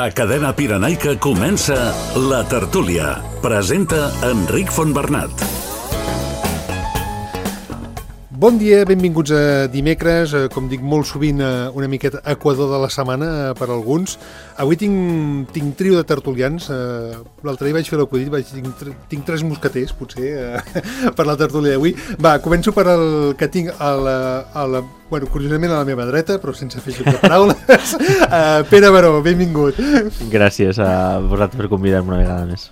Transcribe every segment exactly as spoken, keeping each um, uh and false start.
A Cadena Pirenaica comença La Tertúlia. Presenta Enric Fontbernat. Bon dia, benvinguts a dimecres, com dic molt sovint una miqueta equador de la setmana per alguns. Avui tinc, tinc trio de tertulians, l'altre dia vaig fer l'acudit, vaig tinc, tinc tres mosqueters potser per la tertúlia d'avui. Va, començo per el que tinc a la, a la, bueno, curiosament a la meva dreta, però sense fer joc de paraules. uh, Pere Baró, benvingut. Gràcies a vosaltres per convidar-me una vegada més.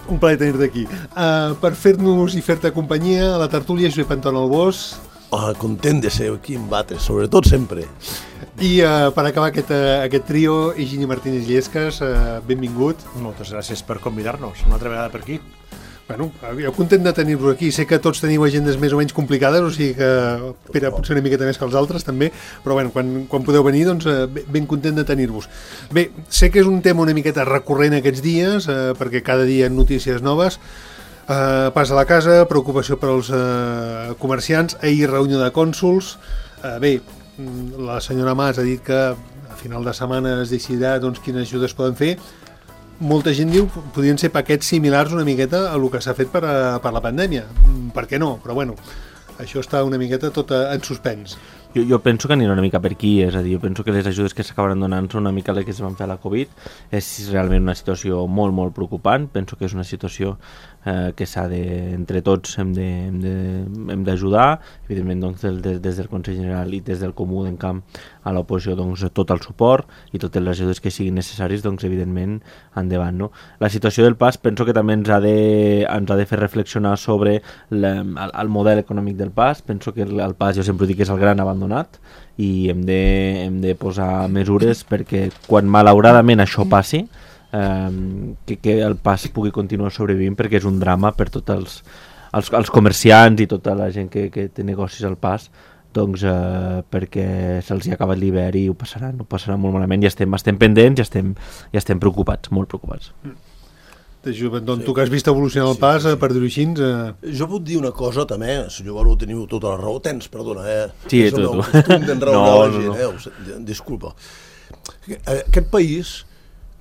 Un plaer tenir-te aquí. Uh, per fer-nos i fer-te companyia, a la tertúlia, Josep Anton Albós. Oh, content de ser aquí en Batres, sobretot sempre. I uh, per acabar aquest, uh, aquest trio, Higini Martínez Llesques, uh, benvingut. Moltes gràcies per convidar-nos una altra vegada per aquí. Bueno, jo content de tenir-vos aquí. Sé que tots teniu agendes més o menys complicades, o sigui que Pere potser una miqueta més que els altres també, però bueno, quan, quan podeu venir, doncs ben content de tenir-vos. Bé, sé que és un tema una miqueta recurrent aquests dies, eh, perquè cada dia hi ha notícies noves. Eh, pas a la casa, preocupació per als eh, comerciants, ahir reunió de cònsols. Eh, bé, la senyora Mas ha dit que a final de setmana es decidirà doncs, quines ajudes poden fer. Molta gent diu que podrien ser paquets similars una miqueta a el que s'ha fet per, a, per la pandèmia. Per què no? Però bueno, això està una miqueta tot en suspens. Jo, jo penso que anirà una mica per aquí, és a dir, jo penso que les ajudes que s'acabaran donant són una mica les que es van fer a la Covid. És realment una situació molt, molt preocupant. Penso que és una situació eh, que s'ha de, entre tots hem de, hem de, hem d'ajudar. Evidentment, doncs, des, des del Consell General i des del Comú d'en Camp a l'oposició, doncs, tot el suport i totes les ajudes que siguin necessaris, doncs, evidentment, endavant, no? La situació del pas penso que també ens ha de, ens ha de fer reflexionar sobre la, el, el model econòmic del pas. Penso que el, el pas, jo sempre dic que és el gran abandonat i hem de, hem de posar mesures perquè quan malauradament això passi, eh, que, que el pas pugui continuar sobrevivint, perquè és un drama per tots els, els, els comerciants i tota la gent que, que té negocis al pas, doncs eh, perquè se'ls hi ha acabat l'hivern i ho passaran, ho passaran molt malament i estem, estem pendents i estem, i estem preocupats, molt preocupats. Mm. Doncs tu que has vist evolucionar el pas, sí, sí, sí. Per dir-ho així... Eh... Jo puc dir una cosa també, senyor Baró, teniu tota la raó, tens, perdona, eh? Sí, és tu, el meu tu. costum d'enraonar no, la gent, no, no. eh? Disculpa. Aquest país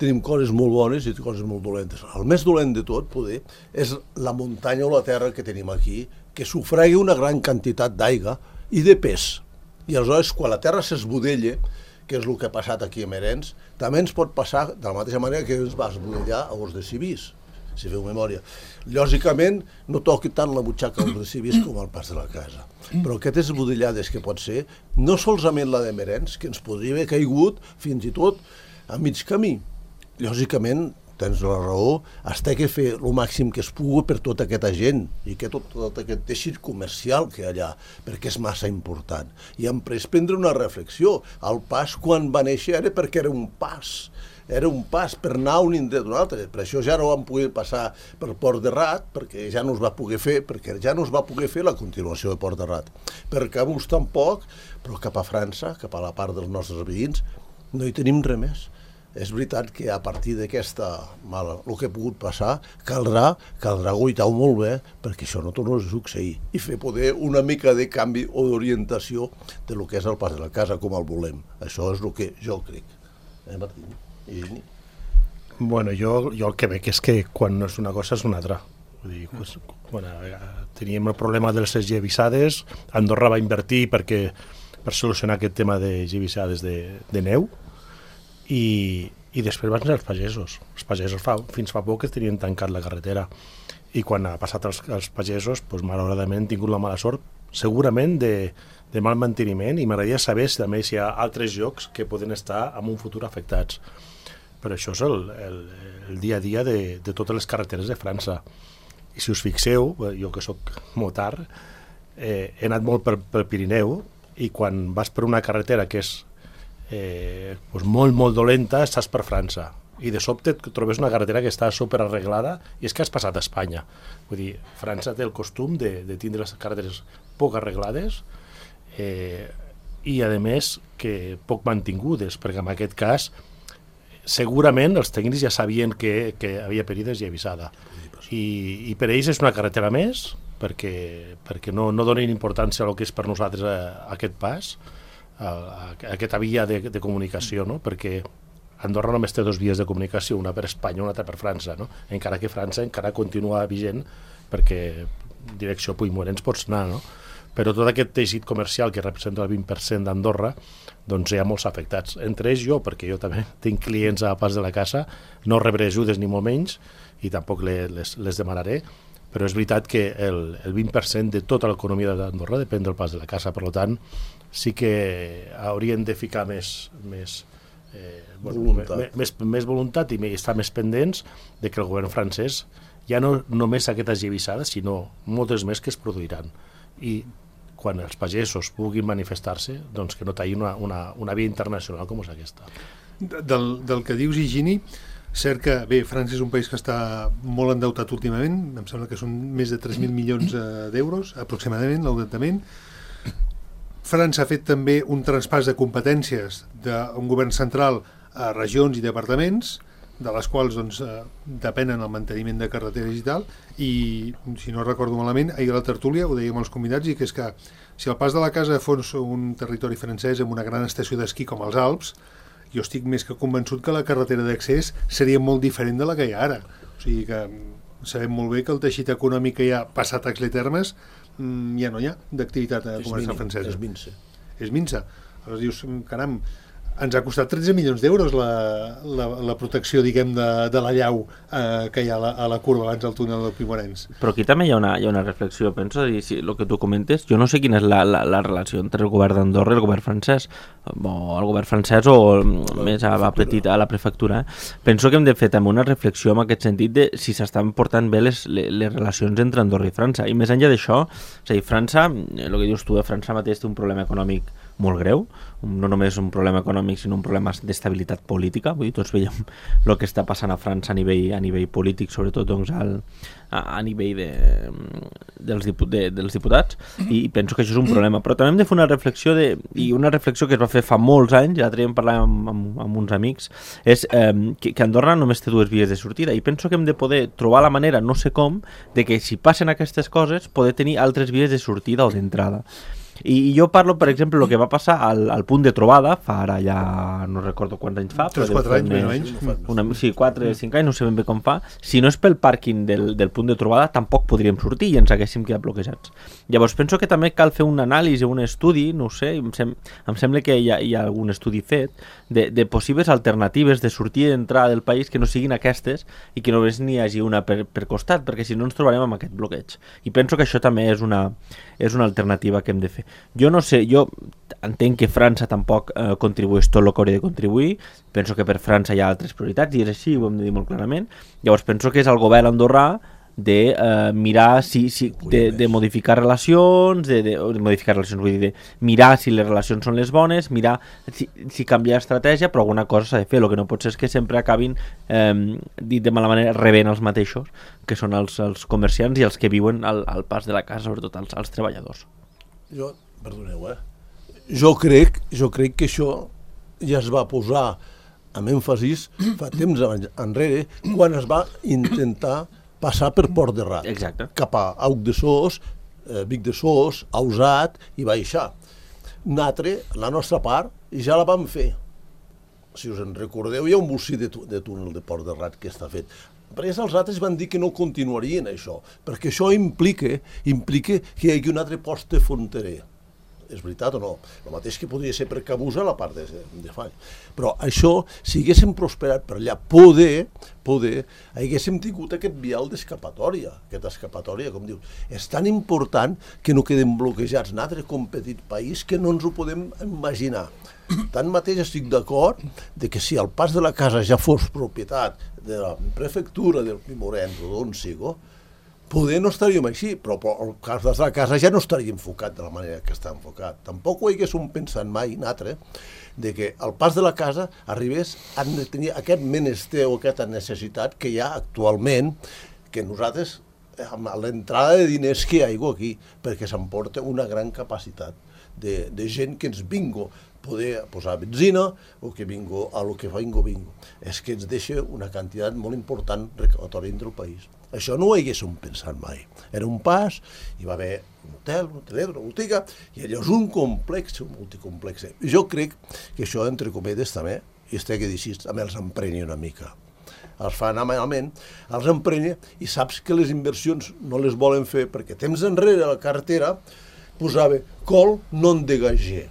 tenim coses molt bones i coses molt dolentes. El més dolent de tot, poder, és la muntanya o la terra que tenim aquí, que sufragui una gran quantitat d'aigua i de pes. I aleshores, quan la terra s'esbudella, que és el que ha passat aquí a Merens, també ens pot passar de la mateixa manera que ens va esbudellar a Os de Civís, si feu memòria. Lògicament, no toqui tant la butxaca a Os de Civís com al pas de la casa. Però aquestes esbudellades que pot ser, no solament la de Merens, que ens podria haver caigut fins i tot a mig camí. Lògicament, tens la raó, es té que fer el màxim que es pugui per tota aquesta gent i que tot, tot aquest teixit comercial que hi ha allà, perquè és massa important. I hem pres prendre una reflexió. El pas, quan va néixer, era perquè era un pas. Era un pas per anar un indret d'un altre. Per això ja no vam poder passar per Port de Rat, perquè ja no es va poder fer, perquè ja no es va poder fer la continuació de Port de Rat. Per Cabús tampoc, però cap a França, cap a la part dels nostres veïns, no hi tenim res més. És veritat que a partir d'aquesta mala, el que ha pogut passar, caldrà, caldrà guaitar-ho molt bé perquè això no torni a succeir i fer poder una mica de canvi o d'orientació de lo que és el pas de la casa com el volem. Això és el que jo crec. Eh, Martín? I... Bueno, jo, jo el que veig és que quan no és una cosa és una altra. Vull dir, pues, bueno, teníem el problema de les gevisades, Andorra va invertir perquè, per solucionar aquest tema de gevisades de, de neu, I, i després van ser els pagesos. Els pagesos fa, fins fa poc que tenien tancat la carretera i quan ha passat els, els pagesos, doncs, malauradament han tingut la mala sort, segurament de, de mal manteniment, i m'agradaria saber si també si hi ha altres llocs que poden estar en un futur afectats. Però això és el, el, el dia a dia de, de totes les carreteres de França. I si us fixeu, jo que sóc motard, eh, he anat molt per, pel Pirineu i quan vas per una carretera que és Eh, doncs molt, molt dolenta, estàs per França i de sobte et trobes una carretera que està superarreglada i és que has passat a Espanya. Vull dir, França té el costum de, de tindre les carreteres poc arreglades eh, i a més que poc mantingudes, perquè en aquest cas segurament els tècnics ja sabien que, que havia perill de gevisada i, i per ells és una carretera més perquè, perquè no, no donen importància al que és per nosaltres a, a aquest pas, a, a aquesta via de, de comunicació, no? Perquè Andorra només té dos vies de comunicació, una per Espanya i una altra per França, no? Encara que França encara continua vigent perquè direcció Puigmorens pots anar, no? Però tot aquest teixit comercial que representa el vint per cent d'Andorra, doncs hi ha molts afectats. Entre ells jo, perquè jo també tinc clients a Pas de la Casa, no rebré ajudes ni molt menys i tampoc les, les, les demanaré, però és veritat que el, el vint per cent de tota l'economia d'Andorra depèn del Pas de la Casa, per tant, sí que haurien de ficar més... més Eh, bueno, voluntat. Més, més voluntat i estar més pendents de que el govern francès ja no només aquestes llevissades, sinó moltes més que es produiran. I quan els pagesos puguin manifestar-se, doncs que no tallin una, una, una via internacional com és aquesta. Del, del que dius, Higini, cert que, bé, França és un país que està molt endeutat últimament, em sembla que són més de tres mil milions d'euros, aproximadament, l'endeutament. França ha fet també un traspàs de competències d'un govern central a regions i departaments, de les quals doncs, eh, depenen el manteniment de carreteres i tal, i si no recordo malament, ahir a la tertúlia ho dèiem als convidats, i que és que si el Pas de la Casa fos un territori francès amb una gran estació d'esquí com els Alps, jo estic més que convençut que la carretera d'accés seria molt diferent de la que hi ha ara. O sigui que sabem molt bé que el teixit econòmic que hi ha passat a Axletermes ja no hi ha d'activitat comercial francesa. És minsa. És minsa. Aleshores dius, caram, ens ha costat tretze milions d'euros la, la, la protecció, diguem, de, de la llau eh, que hi ha a la, a la curva abans del túnel del Puigmorens. Però aquí també hi ha una, hi ha una reflexió, penso, i si el que tu comentes, jo no sé quina és la, la, la relació entre el govern d'Andorra i el govern francès, o el govern francès o la més a la petita, a la prefectura. Eh? Penso que hem de fer també una reflexió en aquest sentit de si s'estan portant bé les, les, les relacions entre Andorra i França. I més enllà d'això, és a dir, França, el que dius tu, França mateix té un problema econòmic molt greu, no només un problema econòmic sinó un problema d'estabilitat política. Vull dir, tots veiem el que està passant a França a nivell, a nivell polític, sobretot doncs, al, a, a nivell de, dels, dipu, de, dels diputats, i penso que això és un problema, però també hem de fer una reflexió de, i una reflexió que es va fer fa molts anys, l'altre dia en parlàvem amb, amb, amb uns amics, és eh, que, que Andorra només té dues vies de sortida, i penso que hem de poder trobar la manera, no sé com, de que si passen aquestes coses poder tenir altres vies de sortida o d'entrada. I jo parlo, per exemple, el que va passar al, al punt de trobada, fa ara ja no recordo quants anys fa, tres quatre anys, més o menys. Una, sí, quatre cinc anys, no sé ben bé com fa. Si no és pel pàrquing del, del punt de trobada, tampoc podríem sortir i ens haguéssim quedat bloquejats. Llavors penso que també cal fer un anàlisi, un estudi, no ho sé, em, sem em sembla que hi ha, hi ha algun estudi fet de, de possibles alternatives de sortir i d'entrada del país que no siguin aquestes i que només n'hi hagi una per, per costat, perquè si no ens trobarem amb aquest bloqueig. I penso que això també és una, és una alternativa que hem de fer. Jo no sé, jo entenc que França tampoc eh, contribueix tot el que hauria de contribuir, penso que per França hi ha altres prioritats i és així, ho hem de dir molt clarament. Llavors penso que és el govern andorrà de eh, mirar si, si de, de modificar relacions, de, de, de modificar relacions, vull dir, de mirar si les relacions són les bones, mirar si, si canviar estratègia, però alguna cosa s'ha de fer. El que no pot ser és que sempre acabin, eh, dit de mala manera, rebent els mateixos, que són els, els comerciants i els que viuen al, al Pas de la Casa, sobretot els, els treballadors. Jo, perdoneu, eh? Jo crec, jo crec que això ja es va posar amb èmfasis fa temps enrere, quan es va intentar passar per Port de Rat. Exacte. Cap a Auc de Sos, eh, Vic de Sos, Ausat i baixar. Nosaltres, la nostra part, ja la vam fer. Si us en recordeu, hi ha un bocí de, de túnel de Port de Rat que està fet. Però els altres van dir que no continuarien això, perquè això implica, implica que hi hagi un altre poste fronterer. És veritat o no? El mateix que podria ser per Cabusa la part de, de Fall. Però això, si haguéssim prosperat per allà, poder, poder, haguéssim tingut aquest vial d'escapatòria, aquesta escapatòria, com dius. És tan important que no quedem bloquejats nosaltres com petit país que no ens ho podem imaginar. Tanmateix estic d'acord de que si el Pas de la Casa ja fos propietat de la prefectura del Puigmorens o d'on sigo, poder no estaríem així, però el cas de la casa ja no estaria enfocat de la manera que està enfocat. Tampoc ho haguéssim pensat mai, nosaltres, de que el Pas de la Casa arribés a tenir aquest menester o aquesta necessitat que hi ha actualment, que nosaltres, amb l'entrada de diners que hi ha aquí, perquè s'emporta una gran capacitat de, de gent que ens vingo poder posar benzina o que vingo a lo que vingo vingo. És que ens deixa una quantitat molt important recaptatòria entre el país. Això no ho haguéssim pensat mai. Era un pas, hi va haver un hotel, un hotelet, una botiga, i allò és un complex, un multicomplex. Jo crec que això, entre cometes, també i es té que dir així, també els emprenya una mica. Els fa anar malament, els emprenya i saps que les inversions no les volen fer perquè temps enrere a la cartera posava col non dégagé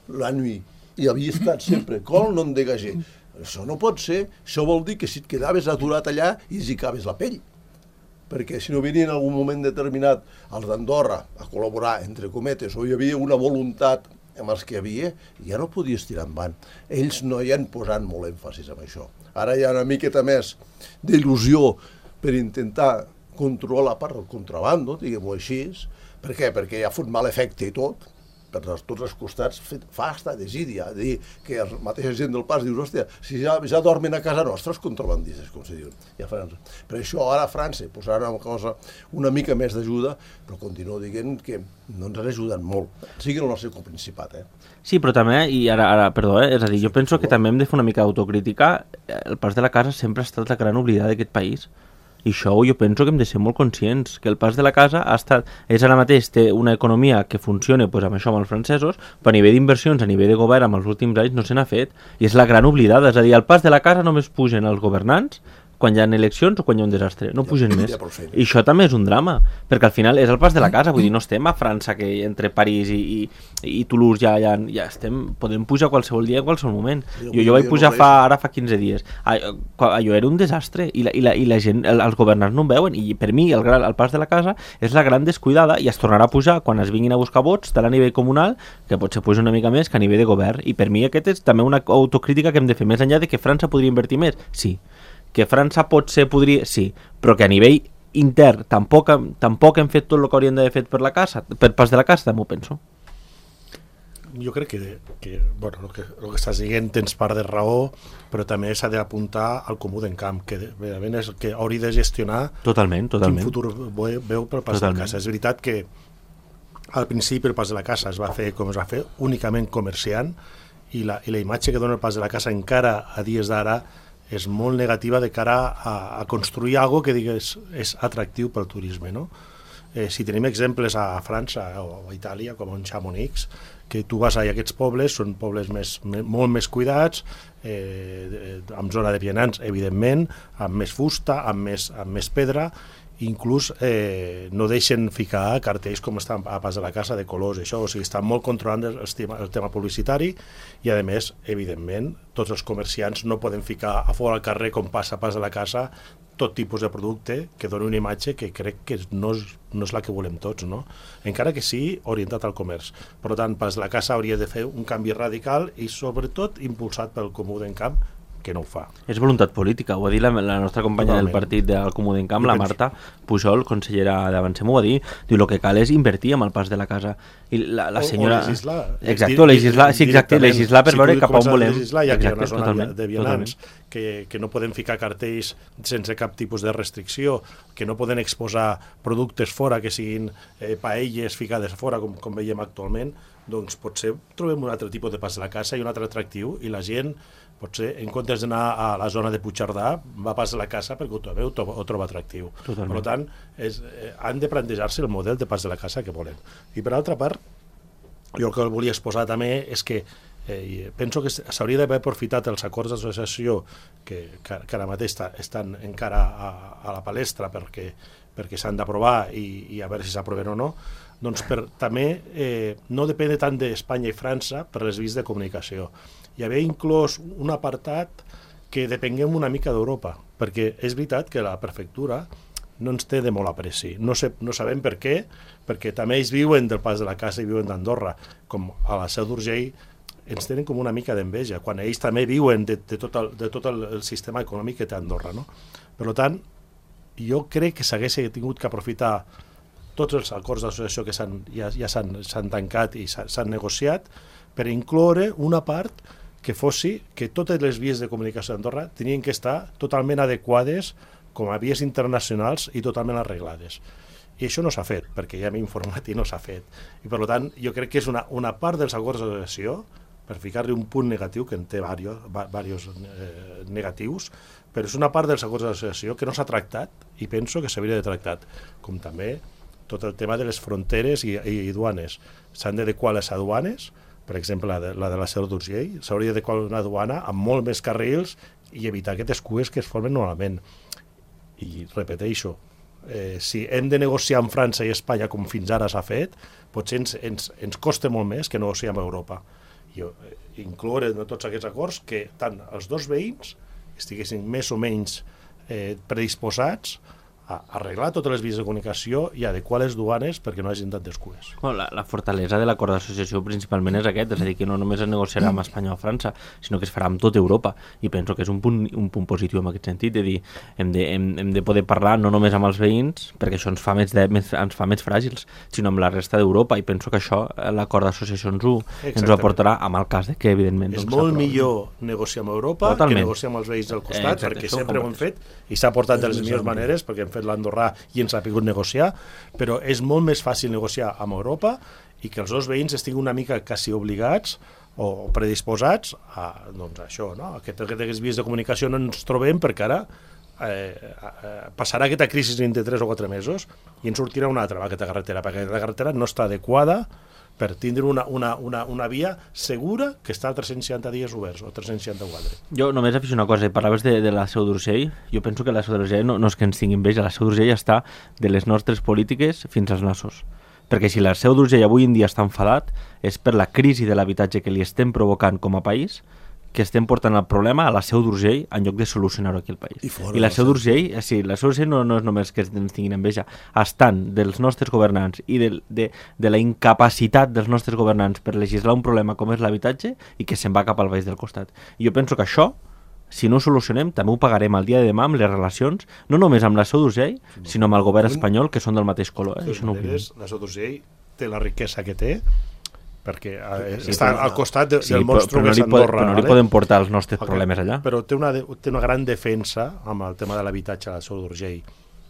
la nuit i havia estat sempre col non dégagé. Això no pot ser, això vol dir que si et quedaves aturat allà i zicaves la pell, perquè si no venien en algun moment determinat els d'Andorra a col·laborar, entre cometes, o hi havia una voluntat amb els que hi havia, ja no podies tirar endavant. Ells no hi han posat molt èmfasis en això. Ara hi ha una miqueta més d'il·lusió per intentar controlar la part del contrabando, diguem-ho així. Per què? Perquè ja ha fot mal efecte i tot, per tots els costats fa hasta desídia, dir que la mateixa gent del pas dius, hòstia, si ja, ja dormen a casa nostra els contrabandistes, com se diu, ja a França. Per això ara a França posarà una cosa, una mica més d'ajuda, però continuo dient que no ens han ajudat molt, sigui el nostre Principat, eh? Sí, però també, i ara, ara perdó, eh? és a dir, jo penso que també hem de fer una mica d'autocrítica. El pas de la casa sempre ha estat la gran oblidada d'aquest país. I això jo penso que hem de ser molt conscients, que el pas de la casa ha estat, és ara mateix, té una economia que funciona pues, amb això amb els francesos, però a nivell d'inversions, a nivell de govern, amb els últims anys no se n'ha fet, i és la gran oblidada, és a dir, al pas de la casa només pugen els governants quan hi ha eleccions o quan hi ha un desastre, no pugen més. I això també és un drama, perquè al final és el pas de la casa, vull dir, no estem a França, que entre París i, i, i Toulouse ja, ja, ja estem, podem pujar qualsevol dia, en qualsevol moment. Jo, jo vaig pujar fa, ara fa quinze dies. Allò era un desastre i la, i la, i la gent, els governants no ho veuen, i per mi el, gran, el pas de la casa és la gran descuidada i es tornarà a pujar quan es vinguin a buscar vots, tant a nivell comunal, que potser puja una mica més que a nivell de govern. I per mi aquest és també una autocrítica que hem de fer, més enllà de que França podria invertir més, sí. Que França potser podria... Sí, però que a nivell intern tampoc, tampoc hem fet tot el que hauríem d'haver fet per la casa, per pas de la casa, també ho penso. Jo crec que, que bueno, el que, el que estàs dient tens part de raó, però també s'ha d'apuntar al comú d'encamp, que realment és el que hauria de gestionar totalment, totalment. quin futur veu per pas totalment. de la casa. És veritat que al principi el pas de la casa es va fer com es va fer, únicament comerciant, i la, i la imatge que dona el pas de la casa encara a dies d'ara és molt negativa de cara a, a construir alguna que digues és atractiu pel turisme, no? Eh, si tenim exemples a França o a Itàlia, com en Chamonix, que tu vas a aquests pobles, són pobles més, me, molt més cuidats, eh, amb zona de vianants, evidentment, amb més fusta, amb més, amb més pedra, inclús eh, no deixen ficar cartells com estan a pas de la casa de colors, això, o sigui, estan molt controlant el, el, tema, el tema publicitari i a més, evidentment, tots els comerciants no poden ficar a fora al carrer com passa a pas de la casa tot tipus de producte que doni una imatge que crec que no és, no és la que volem tots, no? Encara que sí orientat al comerç. Per tant, pas de la casa hauria de fer un canvi radical i sobretot impulsat pel Comú d'Encamp, que no ho fa. És voluntat política, ho va dir la, la nostra companya Totalment. del partit del Comú d'Encamp, la Marta Pujol, consellera d'Avancem, ho va dir, diu, el que cal és invertir amb el pas de la casa. I la, la senyora... O, o legislar. Exacte, legislar, sí, exacte, legislar per si veure cap a on volem. Legislar, ja que hi ha una zona de vianants que, que no poden ficar cartells sense cap tipus de restricció, que no poden exposar productes fora, que siguin eh, paelles ficades fora, com, com veiem actualment, doncs potser trobem un altre tipus de pas de la casa i un altre atractiu, i la gent potser, en comptes d'anar a la zona de Puigcerdà, va pas a la casa perquè ho troba, ho troba atractiu. Totalment. Per tant, és, eh, han de plantejar-se el model de pas de la casa que volen. I per altra part, jo el que volia exposar també és que eh, penso que s'hauria d'haver aprofitat els acords d'associació que, que, que ara mateix està, estan encara a, a la palestra perquè, perquè s'han d'aprovar i, i a veure si s'aproven o no, doncs per també eh, no depèn tant d'Espanya i França per les vies de comunicació. Hi havia inclòs un apartat que depenguem una mica d'Europa, perquè és veritat que la prefectura no ens té de molt apreci. No, sé, no sabem per què, perquè també ells viuen del pas de la casa i viuen d'Andorra, com a la Seu d'Urgell ens tenen com una mica d'enveja, quan ells també viuen de, de tot, el, de tot el, el sistema econòmic que té Andorra, no? Per tant, jo crec que s'hagués tingut que aprofitar tots els acords d'associació que s'han, ja, ja s'han tancat i s'han negociat per incloure una part que fossi que totes les vies de comunicació d'Andorra tenien que estar totalment adequades com a vies internacionals i totalment arreglades. I això no s'ha fet, perquè ja m'he informat i no s'ha fet. I per tant, jo crec que és una, una part dels acords d'associació, per ficar-li un punt negatiu, que en té diversos eh, negatius, però és una part dels acords d'associació que no s'ha tractat i penso que s'hauria de tractar, com també tot el tema de les fronteres i, i, i duanes. S'han d'adequar les aduanes per exemple, la de la, de la Seu d'Urgell, s'hauria de col·locar una duana amb molt més carrils i evitar aquestes cues que es formen normalment. I repeteixo, eh, si hem de negociar amb França i Espanya com fins ara s'ha fet, potser ens, ens, ens costa molt més que negociar amb Europa. I eh, incloure en tots aquests acords que tant els dos veïns estiguessin més o menys eh, predisposats a arreglar totes les vies de comunicació i adequar les duanes perquè no hagin tantes cues. Bueno, la, la fortalesa de l'acord d'associació principalment és aquest, és a dir, que no només es negociarà amb Espanya o França, sinó que es farà amb tota Europa, i penso que és un punt, un punt positiu en aquest sentit, de dir, hem de, hem, hem de poder parlar no només amb els veïns, perquè això ens fa més, de, més, ens fa més fràgils, sinó amb la resta d'Europa, i penso que això l'acord d'associació ens, ho, ens ho aportarà, amb el cas de que, evidentment... És doncs, molt millor negociar amb Europa Totalment. que negociar amb els veïns del costat, eh, exacte, perquè sempre ho hem fet, i s'ha portat de les millors maneres, perquè hem fet l'Andorrà i ens ha pogut negociar, però és molt més fàcil negociar amb Europa i que els dos veïns estiguin una mica quasi obligats o predisposats a, doncs, això, no? Aquest, aquestes vies de comunicació no ens trobem perquè ara eh, eh, passarà aquesta crisi dintre tres o quatre mesos i ens sortirà una altra aquesta carretera, perquè aquesta carretera no està adequada per tindre una, una, una, una via segura que està a tres-cents seixanta dies oberts, o tres-cents seixanta-quatre. Jo només afixo una cosa, parlaves de, de la Seu d'Urgell, jo penso que la Seu d'Urgell no, no és que ens tinguin enveja, la Seu d'Urgell està de les nostres polítiques fins als nassos. Perquè si la Seu d'Urgell avui en dia està enfadat, és per la crisi de l'habitatge que li estem provocant com a país, que estem portant el problema a la Seu d'Urgell en lloc de solucionar-ho aquí al país. I, I la Seu d'Urgell, sí, la Seu d'Urgell no, no és només que ens tinguin enveja, estan dels nostres governants i de, de, de la incapacitat dels nostres governants per legislar un problema com és l'habitatge i que se'n va cap al baix del costat. I jo penso que això, si no ho solucionem, també ho pagarem el dia de demà amb les relacions, no només amb la Seu d'Urgell, sinó amb el govern espanyol, que són del mateix color. Eh? Això no maneres, la Seu d'Urgell té la riquesa que té, perquè eh, sí, està al costat de, sí, del monstru que és Andorra. Però no li podem portar els nostres okay. problemes allà. Però té una, té una gran defensa amb el tema de l'habitatge a la Seu d'Urgell,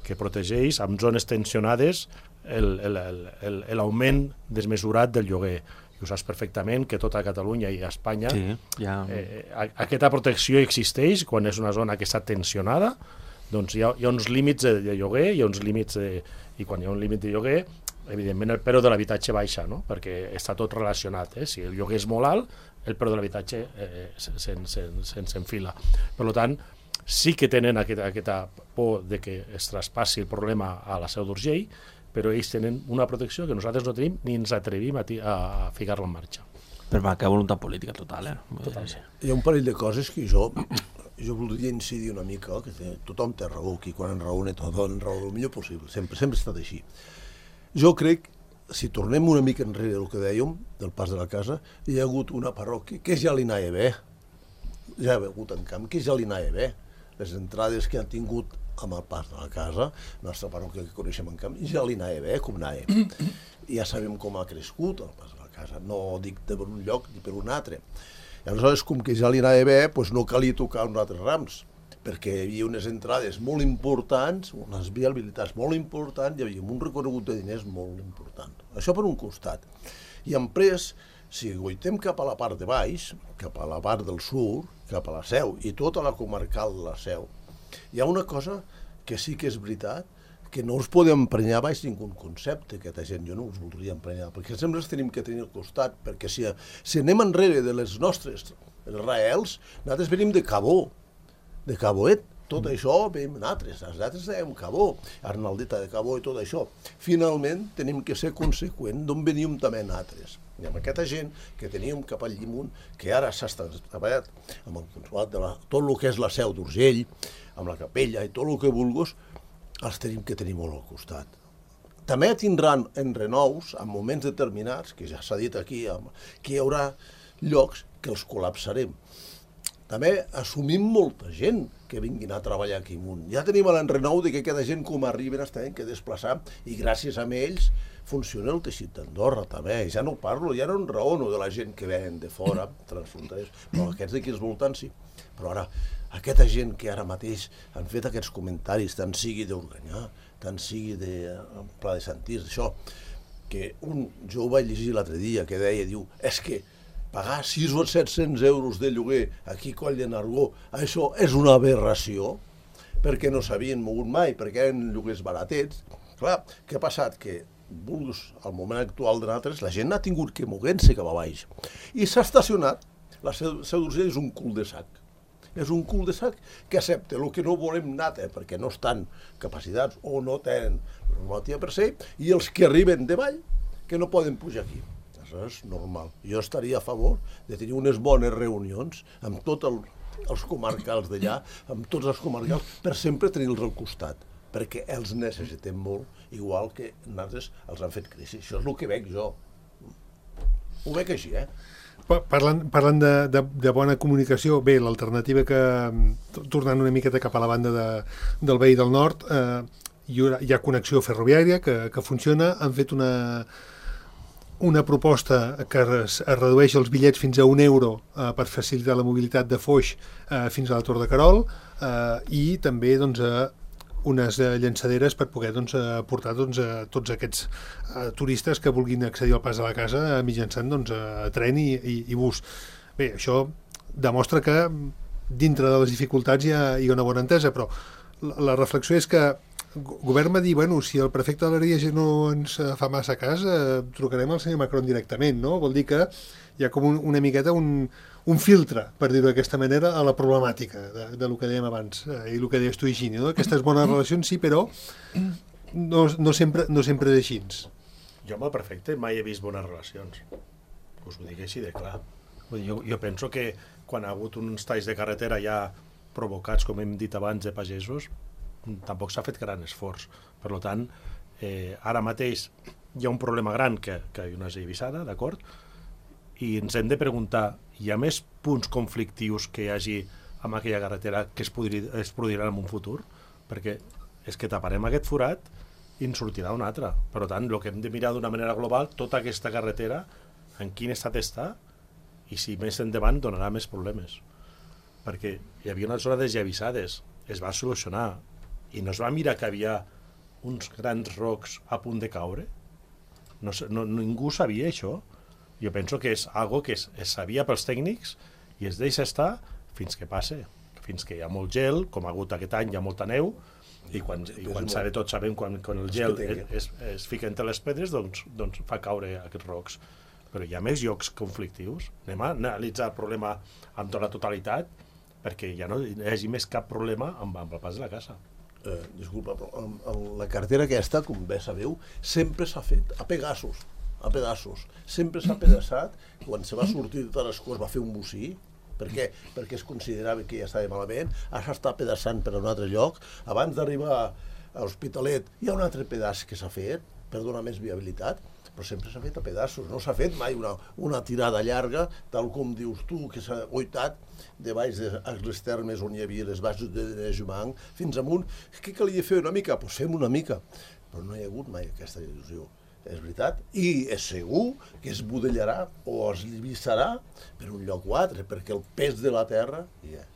que protegeix amb zones tensionades l'augment desmesurat del lloguer. I ho saps perfectament que tota Catalunya i Espanya sí, ja... eh, aquesta protecció existeix quan és una zona que està tensionada, doncs hi ha, hi ha uns límits de, de lloguer, hi ha uns límits de, i quan hi ha un límit de lloguer evidentment el preu de l'habitatge baixa, no? Perquè està tot relacionat. Eh? Si el lloguer és molt alt, el preu de l'habitatge eh, se'n s'enfila. Per tant, sí que tenen aquesta, aquesta por de que es traspassi el problema a la Seu d'Urgell, però ells tenen una protecció que nosaltres no tenim ni ens atrevim a, a ficar-la en marxa. Per manca de voluntat política total, eh? Total. Hi ha un parell de coses que jo, jo voldria incidir una mica, que té, tothom té raó, qui quan enraona tothom enraona el millor possible, sempre, sempre ha estat així. Jo crec, si tornem una mica enrere del que dèiem, del pas de la casa, hi ha hagut una parròquia que ja li anava bé, ja ha hagut en camp, que ja li anava bé. Les entrades que han tingut amb el pas de la casa, la nostra parròquia que coneixem en camp, ja li anava bé, com anava. I ja sabem com ha crescut el pas de la casa, no dic per un lloc ni per un altre. I aleshores, com que ja li anava bé, doncs no calia tocar uns altres rams, perquè hi havia unes entrades molt importants, unes viabilitats molt importants, hi havia un recorregut de diners molt important. Això per un costat. I després, si goitem cap a la part de baix, cap a la part del sud, cap a la Seu, i tota la comarcal de la Seu, hi ha una cosa que sí que és veritat, que no us podem emprenyar baix ningú concepte, aquesta gent, jo no us voldria emprenyar, perquè sempre els tenim que tenir al costat, perquè si, si anem enrere de les nostres els raels, nosaltres venim de Cabó, de Caboet, tot mm. això veiem nosaltres, nosaltres dèiem Cabó, Arnaldeta de Cabó i tot això. Finalment tenim que ser conseqüents d'on veníem també nosaltres. I amb aquesta gent que teníem cap al Llimunt, que ara s'ha treballat amb el consolat de la, tot el que és la Seu d'Urgell, amb la capella i tot el que vulguis, els tenim que tenir molt al costat. També tindran en renous, en moments determinats, que ja s'ha dit aquí, que hi haurà llocs que els col·lapsarem. També assumim molta gent que vinguin a treballar aquí amunt. Ja tenim l'enrenou de que cada gent com arriben es tenen que desplaçar i gràcies a ells funciona el teixit d'Andorra també. Ja no parlo, ja no enraono de la gent que venen de fora, transfronterers, però aquests d'aquí als voltants sí. Però ara, aquesta gent que ara mateix han fet aquests comentaris, tant sigui d'Organyà, tant sigui de Pla de Santís, això, que un, jo ho vaig llegir l'altre dia, que deia, diu, és que pagar sis o set-cents euros de lloguer aquí a Coll de Nargó, això és una aberració, perquè no s'havien mogut mai, perquè eren lloguers baratets. Clar, què ha passat? Que vulguis, al moment actual de nosaltres, la gent ha tingut que moguent-se cap a baix. I s'ha estacionat. La Seu d'Urgell és un cul de sac. És un cul de sac que accepta el que no volem nata, perquè no estan capacitats o no tenen la normativa per se, i els que arriben de vall, que no poden pujar aquí. Això és normal. Jo estaria a favor de tenir unes bones reunions amb tots el, els comarcals d'allà, amb tots els comarcals, per sempre tenir-los al costat, perquè els necessitem molt, igual que nosaltres els han fet crisi. Això és el que veig jo. Ho veig així, eh? Parlant, parlant de, de, de bona comunicació, bé, l'alternativa que, tornant una miqueta cap a la banda de, del veí del nord, eh, hi, ha, hi ha connexió ferroviària que, que funciona, han fet una, una proposta que es, es redueix els bitllets fins a un euro eh, per facilitar la mobilitat de Foix eh, fins a la Tor de Querol, eh, i també doncs, eh, unes eh, llançaderes per poder doncs, eh, portar doncs, eh, tots aquests eh, turistes que vulguin accedir al pas de la casa eh, mitjançant doncs, eh, tren i, i, i bus. Bé, això demostra que dintre de les dificultats hi ha, hi ha una bona entesa, però la, la reflexió és que el govern va dir, bueno, si el prefecte de l'Ariège no ens fa massa cas, eh, trucarem al senyor Macron directament, no? Vol dir que hi ha com un, una miqueta un, un filtre, per dir-ho d'aquesta manera, a la problemàtica de, de lo que dèiem abans, eh, i el que deies tu, Higini, no? Aquestes bones relacions sí, però no, no, sempre, no sempre és així. Jo amb el prefecte mai he vist bones relacions, us ho dic així de clar. Jo, jo penso que quan ha hagut uns talls de carretera ja provocats, com hem dit abans, de pagesos, tampoc s'ha fet gran esforç. Per tant, eh, ara mateix hi ha un problema gran que, que hi ha una eivissada, d'acord? I ens hem de preguntar, hi ha més punts conflictius que hi hagi amb aquella carretera que es, podri, es produiran en un futur? Perquè és que taparem aquest forat i en sortirà un altre. Per tant, el que hem de mirar d'una manera global, tota aquesta carretera, en quin estat està, i si més endavant donarà més problemes. Perquè hi havia una zona desllavissades, es va solucionar, i no es va mirar que havia uns grans rocs a punt de caure. No, no, ningú sabia això. Jo penso que és algo que es, es sabia pels tècnics i es deixa estar fins que passe, fins que hi ha molt gel, com ha hagut aquest any, hi ha molta neu, i quan, i quan sabe, tots sabem quan, quan el gel es, es, es fica entre les pedres, doncs, doncs fa caure aquests rocs. Però hi ha més llocs conflictius. Anem a analitzar el problema amb tota la totalitat, perquè ja no hi hagi més cap problema amb, amb el pas de la casa. Eh, disculpa, però amb, amb la carretera aquesta, com bé sabeu, sempre s'ha fet a pegassos, a pedaços. Sempre s'ha pedaçat, quan se va sortir de Tarascó es va fer un bocí. Per què? Perquè es considerava que ja estava malament, ara s'està pedaçant per a un altre lloc. Abans d'arribar a l'Hospitalet hi ha un altre pedaç que s'ha fet per donar més viabilitat, però sempre s'ha fet a pedaços, no s'ha fet mai una, una tirada llarga, tal com dius tu, que s'ha oitat de baix de les termes on hi havia les baixes de, de Jumang fins amunt. Què calia fer una mica? Doncs fem una mica. Però no hi ha hagut mai aquesta il·lusió. És veritat. I és segur que es budellarà o es vissarà per un lloc o altre, perquè el pes de la terra hi és.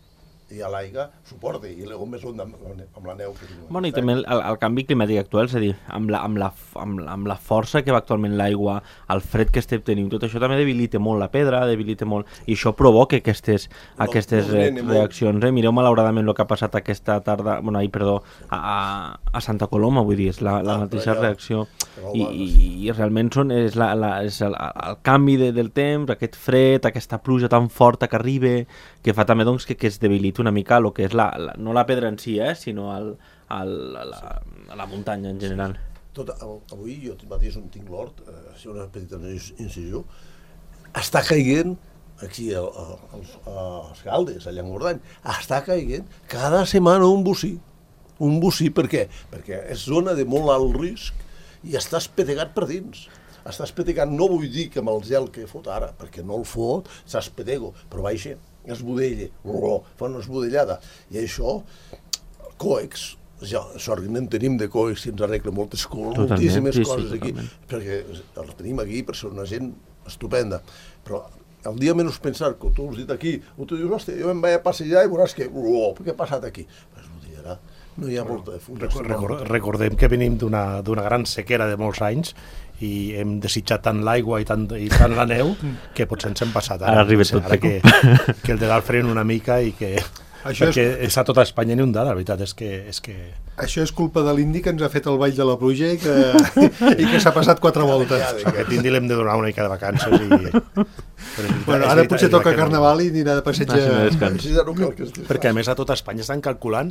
I a l'aigua suporta, i les gomes són amb, amb la neu. Que bueno, i també el, el canvi climàtic actual, és a dir, amb la, amb la, amb, amb la força que va actualment l'aigua, el fred que estem tenint, tot això també debilita molt la pedra, debilita molt, i això provoca aquestes, no, aquestes no re, reaccions. Eh? Mireu malauradament el que ha passat aquesta tarda, bueno, ahir, perdó, a, a Santa Coloma, vull dir, és la, la ah, mateixa ja, reacció, i, i, i realment són, és, la, la, és el, el canvi de, del temps, aquest fred, aquesta pluja tan forta que arriba, que fa també doncs, que, que es debilita una mica el que és la, la, no la pedra en si, eh, sinó el, el, la, la muntanya en general. Tot, avui jo mateix on tinc l'hort, eh, una petita incisió, està caient aquí a, a, a, als Galdes, a Llangordany, està caient cada setmana un bocí. Un bocí, per què? Perquè és zona de molt alt risc i està espetegat per dins. Està espetegat, no vull dir que amb el gel que fot ara, perquè no el fot, s'espetego, però baixa, es budella, fa una esbudellada. I això, coex, ja, sort que en tenim de coex i ens arregla moltes coses, moltíssimes sí, coses sí, aquí, perquè els tenim aquí per ser una gent estupenda. Però el dia menys pensar que tu has dit aquí, o tu dius, hòstia, jo em vaig a passejar i veuràs que, oh, què ha passat aquí? Però es budellarà. No hi ha bueno, molta fundació. Record, recordem que venim d'una gran sequera de molts anys i hem desitjat tant l'aigua i, tant, i tant la neu que potser ens hem passat ara. Ara arriba tot. Ara que, que el de dalt frena una mica i que, Això perquè és... està tota Espanya inundada, la veritat és que... És que... Això és culpa de l'Indi que ens ha fet el ball de la pluja i que, i que s'ha passat quatre voltes. Aquest indi l'hem de donar una mica de vacances i... Veritat, bueno, ara potser toca carnaval i anirà de passeig a... Perquè a més a tota Espanya estan calculant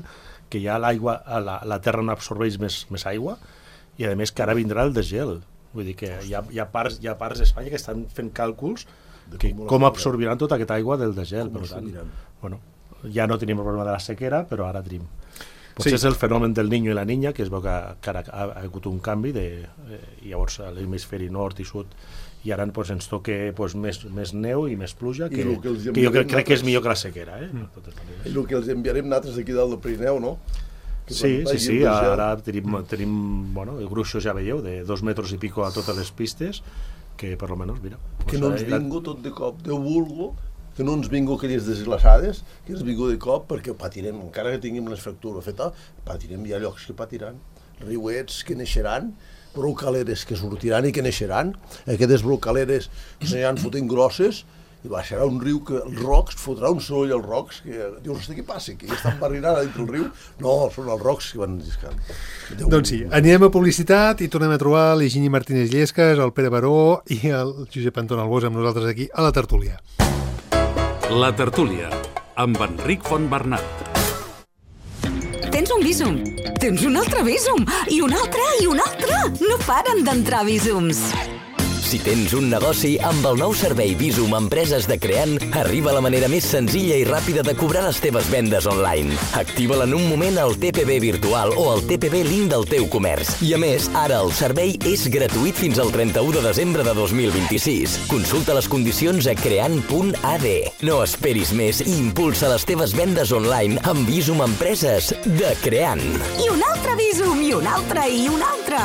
que ja l'aigua, la, la terra no absorbeix més, més aigua i a més que ara vindrà el desgel. Vull dir que hi ha, hi ha parts, hi ha parts d'Espanya que estan fent càlculs que com absorbiran tota aquesta aigua del desgel. Per tant, bueno, ja no tenim el problema de la sequera, però ara tenim. Potser sí. És el fenomen del Niño i la Niña, que es veu que, que ara ha, ha hagut un canvi de, eh, llavors a l'hemisferi nord i sud i ara pues, ens toca pues, més, més neu i més pluja, que, que, que jo crec, crec que és millor que la sequera. Eh? Mm. I el que els enviarem nosaltres d'aquí dalt del Pirineu, no? Que sí, sí, sí, ara tenim, tenim bueno, gruixos, ja veieu, de dos metres i pico a totes les pistes, que per almenys, mira... Que no ens vingo tot de cop, Déu vulgo, que no ens vingo aquelles desglaçades, que ens vingo de cop perquè patirem, encara que tinguem les fractures fetes, patirem, hi ha llocs que patiran, riuets que neixeran, brocaleres que sortiran i que neixeran, aquestes brocaleres s'aniran fotent grosses, i baixarà un riu que els rocs, fotrà un soroll als rocs, que dius, hosti, què passa? Que ja estan barrinant a dintre el riu? No, són els rocs que van lliscant. Déu doncs sí, anirem a publicitat i tornem a trobar l'Higini Martínez Llesques, el Pere Baró i el Josep Anton Albós amb nosaltres aquí a la tertúlia. La tertúlia, amb Enric Fontbernat. Tens un Bizum, tens un altre Bizum, i un altre, i un altre. No paren d'entrar Bizums. Si tens un negoci, amb el nou servei Bizum Empreses de Creant, arriba la manera més senzilla i ràpida de cobrar les teves vendes online. Activa-la en un moment al T P B virtual o al T P B link del teu comerç. I a més, ara el servei és gratuït fins al trenta-u de desembre de dos mil vint-i-sis. Consulta les condicions a creant punt a d. No esperis més i impulsa les teves vendes online amb Bizum Empreses de Creant. I un altre Bizum, i un altre, i un altre.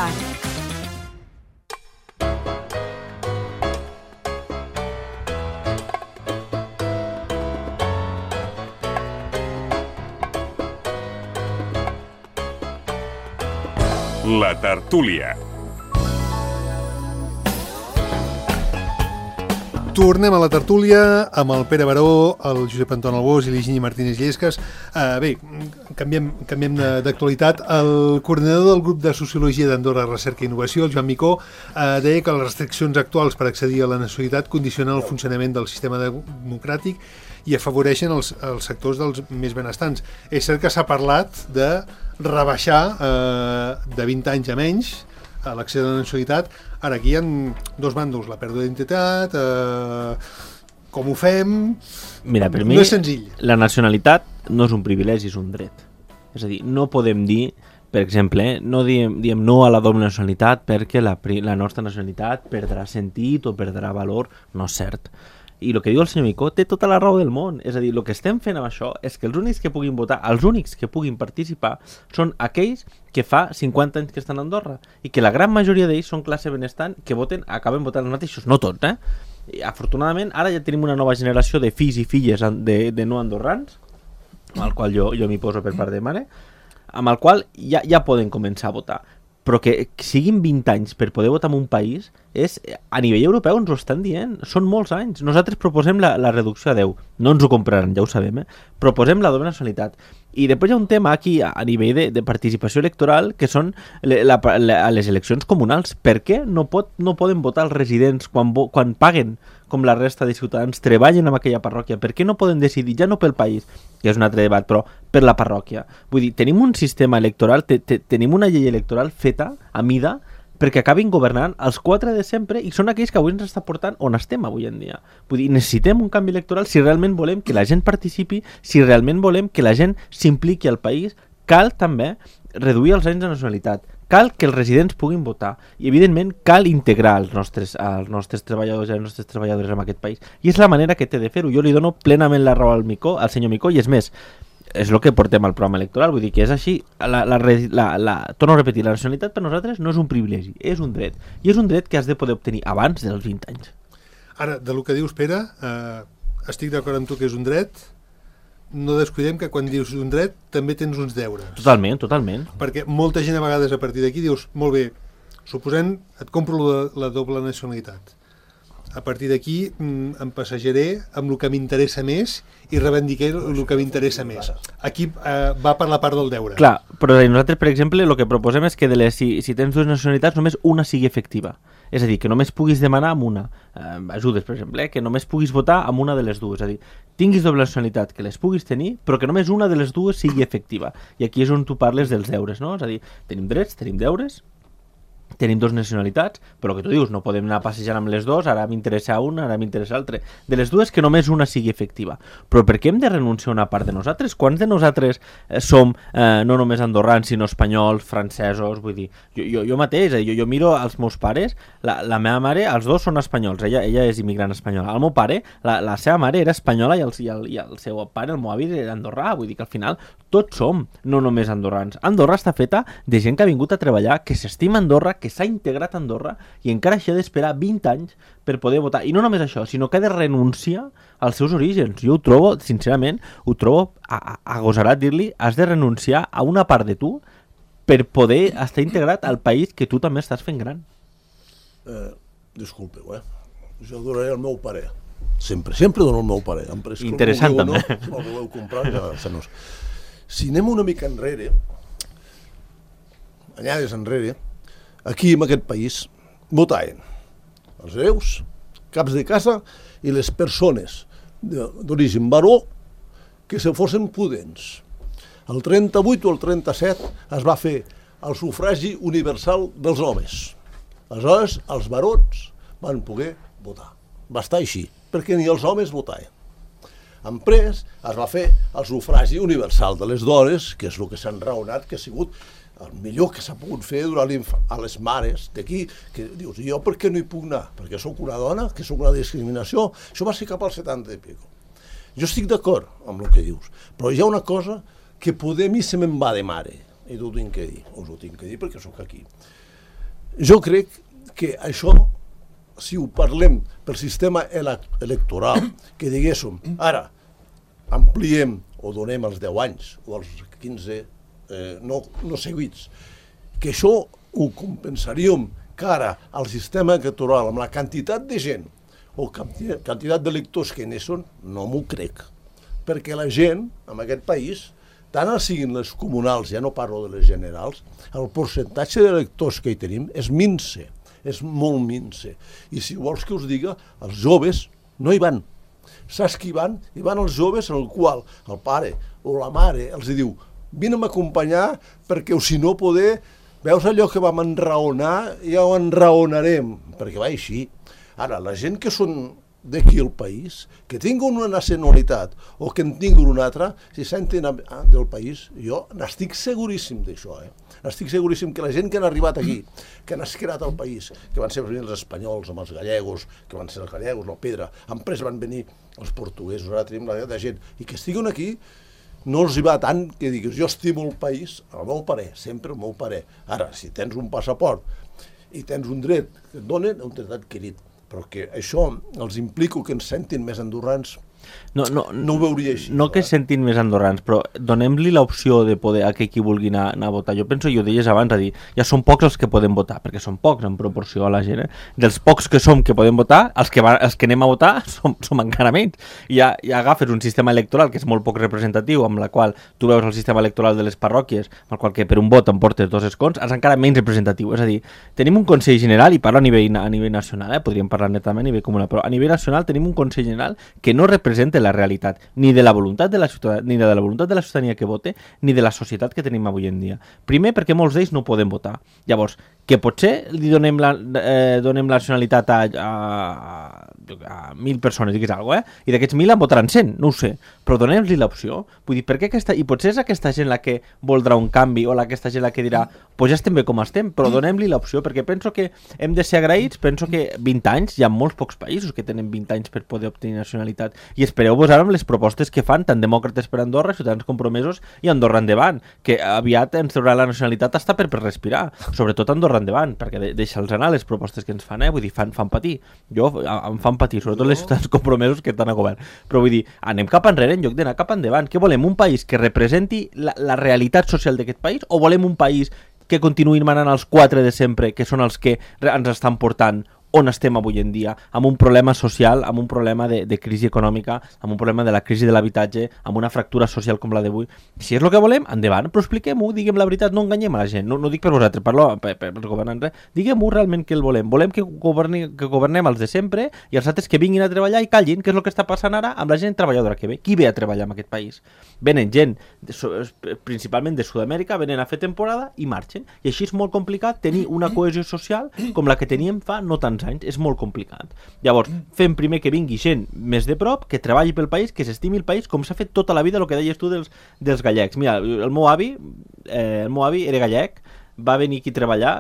La tertúlia. Tornem a la tertúlia amb el Pere Baró, el Josep Anton Albós i l'Higini Martínez Llesques. Uh, bé, canviem, canviem d'actualitat. El coordinador del grup de Sociologia d'Andorra, Recerca i Innovació, el Joan Micó, uh, deia que les restriccions actuals per accedir a la nacionalitat condicionen el funcionament del sistema democràtic i afavoreixen els, els sectors dels més benestants. És cert que s'ha parlat de rebaixar eh, de vint anys a menys a l'accés a la nacionalitat. Ara aquí hi ha dos bàndols, la pèrdua d'identitat, eh, com ho fem... Mira, per no mi, és senzill. La nacionalitat no és un privilegi, és un dret. És a dir, no podem dir, per exemple, eh, no diem, diem no a la doble nacionalitat perquè la, la nostra nacionalitat perdrà sentit o perdrà valor. No és cert. I el que diu el senyor Micó té tota la raó del món. És a dir, el que estem fent amb això és que els únics que puguin votar, els únics que puguin participar són aquells que fa cinquanta anys que estan a Andorra i que la gran majoria d'ells són classe benestant que voten, acaben votant els mateixos, no tots, eh? I, afortunadament, ara ja tenim una nova generació de fills i filles de, de no andorrans, amb el qual jo, jo m'hi poso per part de mare, amb el qual ja, ja poden començar a votar. Però que siguin vint anys per poder votar en un país, és, a nivell europeu ens ho estan dient, són molts anys. Nosaltres proposem la, la reducció a deu, no ens ho compraran, ja ho sabem, eh? Proposem la doble nacionalitat. I després hi ha un tema aquí a, a nivell de, de participació electoral, que són le, la, la, les eleccions comunals. Per què no, pot, no poden votar els residents quan, quan paguen, com la resta de ciutadans, treballen en aquella parròquia? Per què no poden decidir, ja no pel país, que és un altre debat, però per la parròquia? Vull dir, tenim un sistema electoral, te, te, tenim una llei electoral feta a mida perquè acabin governant els quatre de sempre i són aquells que avui ens està portant on estem avui en dia. Vull dir, necessitem un canvi electoral si realment volem que la gent participi, si realment volem que la gent s'impliqui al país. Cal també reduir els anys de nacionalitat, cal que els residents puguin votar i evidentment cal integrar els nostres, els nostres treballadors i les nostres treballadores en aquest país i és la manera que té de fer-ho. Jo li dono plenament la raó al Micó, al senyor Micó, i és més, és el que portem al programa electoral, vull dir que és així. La, la, la, la, torno a repetir, la nacionalitat per nosaltres no és un privilegi, és un dret, i és un dret que has de poder obtenir abans dels vint anys. Ara, de lo que dius, Pere, eh, estic d'acord amb tu que és un dret. No descuidem que quan dius un dret també tens uns deures. Totalment, totalment. Perquè molta gent a vegades a partir d'aquí dius, molt bé, suposem, et compro la, la doble nacionalitat. a partir d'aquí mm, em passejaré amb el que m'interessa més i reivindicaré el que m'interessa més. Aquí eh, va per la part del deure. Clar, però nosaltres, per exemple, el que proposem és que de les, si, si tens dues nacionalitats, només una sigui efectiva. És a dir, que només puguis demanar amb una. Eh, ajudes, per exemple, eh, que només puguis votar amb una de les dues. És a dir, tinguis doble nacionalitat, que les puguis tenir, però que només una de les dues sigui efectiva. I aquí és on tu parles dels deures, no? És a dir, tenim drets, tenim deures, tenim dues nacionalitats, però el que tu dius, no podem anar passejant amb les dues, ara m'interessa una, ara m'interessa l'altra. De les dues, que només una sigui efectiva. Però per què hem de renunciar a una part de nosaltres? Quants de nosaltres eh, som eh, no només andorrans, sinó espanyols, francesos, vull dir, jo, jo, jo mateix, eh, jo, jo miro els meus pares, la, la meva mare, els dos són espanyols, ella, ella és immigrant espanyola. El meu pare, la, la seva mare era espanyola i el, i, el, i el seu pare, el meu avi, era andorrà, vull dir que al final tots som, no només andorrans. Andorra està feta de gent que ha vingut a treballar, que s'estima Andorra, que s'ha integrat a Andorra i encara això ha d'esperar vint anys per poder votar. I no només això, sinó que ha de renunciar als seus orígens. Jo ho trobo, sincerament, ho trobo agosarat dir-li, has de renunciar a una part de tu per poder estar integrat al país que tu també estàs fent gran. Eh, disculpeu, eh? Jo donaré el meu parer. Sempre, sempre dono el meu parer. Interessant, també. No, si el voleu comprar, ja se nos... Si anem una mica enrere, anyades enrere, aquí, en aquest país, votaven els hereus, caps de casa i les persones d'origen baró que se fossin prudents. El trenta-vuit o el trenta-set es va fer el sufragi universal dels homes. Aleshores, els barons van poder votar. Va estar així, perquè ni els homes votaven. Després es va fer el sufragi universal de les dones, que és el que s'ha enraonat, que ha sigut el millor que s'ha pogut fer durant a les mares d'aquí, que dius, jo per què no hi puc anar? Perquè sóc una dona, que sóc una discriminació. Això va ser cap al setanta i pico. Jo estic d'acord amb el que dius, però hi ha una cosa que poder a mi se me'n va de mare, i t'ho tinc que dir, us ho tinc que dir perquè sóc aquí. Jo crec que això, si ho parlem pel sistema electoral, que diguéssim, ara ampliem o donem els deu anys o els quinze eh, no, no seguits, que això ho compensaríem cara al sistema electoral amb la quantitat de gent o quantitat d'electors que n'hi són, no m'ho crec. Perquè la gent, en aquest país, tant siguin les comunals, ja no parlo de les generals, el percentatge d'electors que hi tenim és minse, és molt minse. I si vols que us diga, els joves no hi van. Saps qui van? Hi van els joves en el qual el pare o la mare els diu vine a acompanyar perquè o si no poder, veus allò que vam enraonar, ja ho enraonarem, perquè va així. Ara, la gent que són d'aquí al país, que tinguin una nacionalitat o que en tinguin una altra, si senten del país, jo n'estic seguríssim d'això, eh? Estic seguríssim que la gent que han arribat aquí, que han esquerat al país, que van ser els espanyols amb els gallegos, que van ser els gallegos, la pedra, després van venir els portuguesos, ara tenim la de gent, i que estiguin aquí, no els hi va tant que diguis, jo estimo el país, el meu parer, sempre el meu parer. Ara, si tens un passaport i tens un dret que et donen, un dret adquirit, però que això els implico que ens sentin més andorrans, no, no, no ho veuria així. No que es sentin més andorrans, però donem-li l'opció de poder a que qui vulgui anar, anar a votar. Jo penso, i ho deies abans, a dir, ja són pocs els que podem votar, perquè són pocs en proporció a la gent. Eh? Dels pocs que som que podem votar, els que, va, els que anem a votar som, som encara menys. I ja, ja agafes un sistema electoral que és molt poc representatiu, amb la qual tu veus el sistema electoral de les parròquies, amb el qual que per un vot em portes dos escons, és encara menys representatiu. És a dir, tenim un Consell General, i parlo a nivell, a nivell nacional, eh? Podríem parlar netament a nivell comunal, però a nivell nacional tenim un Consell General que no representa la realitat ni de la voluntat de la ciutadania, ni de la voluntat de la ciutadania que vote, ni de la societat que tenim avui en dia. Primer, perquè molts d'ells no poden votar. Llavors, que potser li donem la, eh, donem la nacionalitat a, a, a mil persones, digues alguna cosa, eh? I d'aquests mil en votaran cent, no ho sé, però donem-li l'opció. Vull dir, per què aquesta... I potser és aquesta gent la que voldrà un canvi, o la aquesta gent la que dirà, pues ja estem bé com estem, però donem-li l'opció, perquè penso que hem de ser agraïts, penso que vint anys, hi ha molts pocs països que tenen vint anys per poder obtenir nacionalitat, i espereu-vos ara amb les propostes que fan tant Demòcrates per Andorra, Ciutadans Compromesos i Andorra Endavant, que aviat ens traurà la nacionalitat hasta per, per respirar, sobretot Andorra Endavant, perquè de, deixa'ls anar les propostes que ens fan, eh? Vull dir, fan, fan patir. Jo em fan patir, sobretot les Ciutadans Compromesos que estan a govern. Però vull dir, anem cap enrere en lloc d'anar cap endavant. Què volem? Un país que representi la, la realitat social d'aquest país, o volem un país que continuïn manant els quatre de sempre, que són els que ens estan portant on estem avui en dia, amb un problema social, amb un problema de, de crisi econòmica, amb un problema de la crisi de l'habitatge, amb una fractura social com la d'avui. Si és el que volem, endavant, però expliquem-ho, diguem la veritat, no enganyem a la gent, no, no dic per vosaltres, parlo per, per, per governants, diguem-ho realment que el volem, volem que, governi, que governem els de sempre i els altres que vinguin a treballar i callin, que és el que està passant ara amb la gent treballadora que ve. Qui ve a treballar en aquest país? Venen gent, de, principalment de Sud-amèrica, venen a fer temporada i marxen. I així és molt complicat tenir una cohesió social com la que teníem fa no tants anys. És molt complicat. Llavors, fem primer que vingui gent més de prop, que treballi pel país, que s'estimi el país, com s'ha fet tota la vida, el que deies tu dels, dels gallecs. Mira, el meu avi, eh, el meu avi era gallec, va venir aquí a treballar,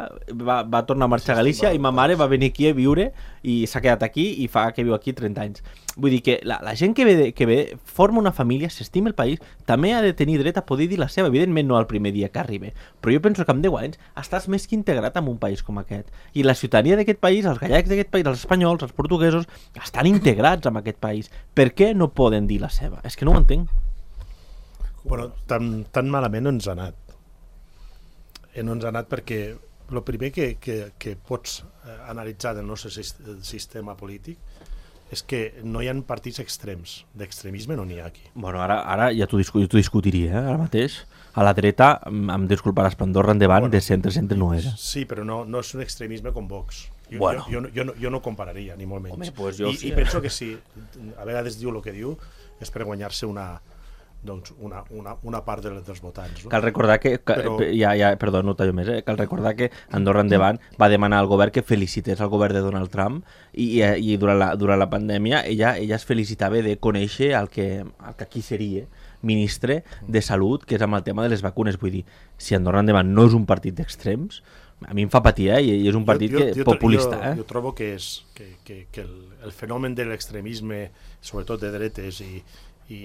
va, va tornar a marxar a Galícia i ma mare va venir aquí a viure i s'ha quedat aquí i fa que viu aquí trenta anys. Vull dir que la, la gent que ve, que ve forma una família, s'estima el país, també ha de tenir dret a poder dir la seva, evidentment no el primer dia que arribi, però jo penso que amb deu anys estàs més que integrat en un país com aquest. I la ciutadania d'aquest país, els gallecs d'aquest país, els espanyols, els portuguesos, estan integrats en aquest país. Per què no poden dir la seva? És que no ho entenc. Bueno, tan, tan malament no ens ha anat. No ens ha anat perquè el primer que, que, que pots analitzar del nostre sistema polític és que no hi ha partits extrems. D'extremisme no n'hi ha aquí. Bueno, ara, ara ja t'ho discu discutiria, eh? Ara mateix. A la dreta, em disculparàs, però Andorra endavant, bueno, de centre-centre no era. Sí, però no, no és un extremisme com Vox. Jo, bueno. jo, jo, jo, no, jo no compararia, ni molt menys. Home, pues jo I, sí. I penso que si a vegades diu el que diu és per guanyar-se una... doncs una, una, una part de, dels votants. No? Cal recordar que, que Però... ja, ja, perdó, no tallo més, eh? Cal recordar que Andorra endavant va demanar al govern que felicités al govern de Donald Trump i, i, i durant, la, durant la pandèmia ella, ella es felicitava de conèixer el que, el que aquí seria ministre de Salut, que és amb el tema de les vacunes. Vull dir, si Andorra endavant no és un partit d'extrems, a mi em fa patir, eh? I és un partit jo, jo, que, jo, populista. Jo, eh? jo trobo que, és, que, que, que el, el fenomen de l'extremisme, sobretot de dretes i, i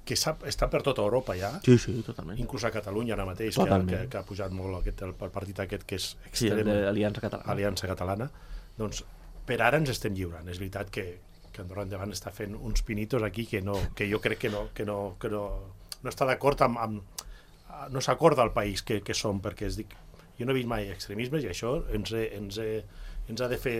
que està per tota Europa ja, sí, sí, totalment. Inclús a Catalunya ara mateix, que, que, que ha pujat molt aquest, el, el partit aquest que és extrem, sí, l'Aliança Catalana. Aliança Catalana, doncs per ara ens estem lliurant. És veritat que, que Andorra endavant està fent uns pinitos aquí que, no, que jo crec que no, que no, que no, no està d'acord amb, amb... no s'acorda al país que, que som, perquè es dic, jo no he vist mai extremismes i això ens, he, ens, he, ens ha de fer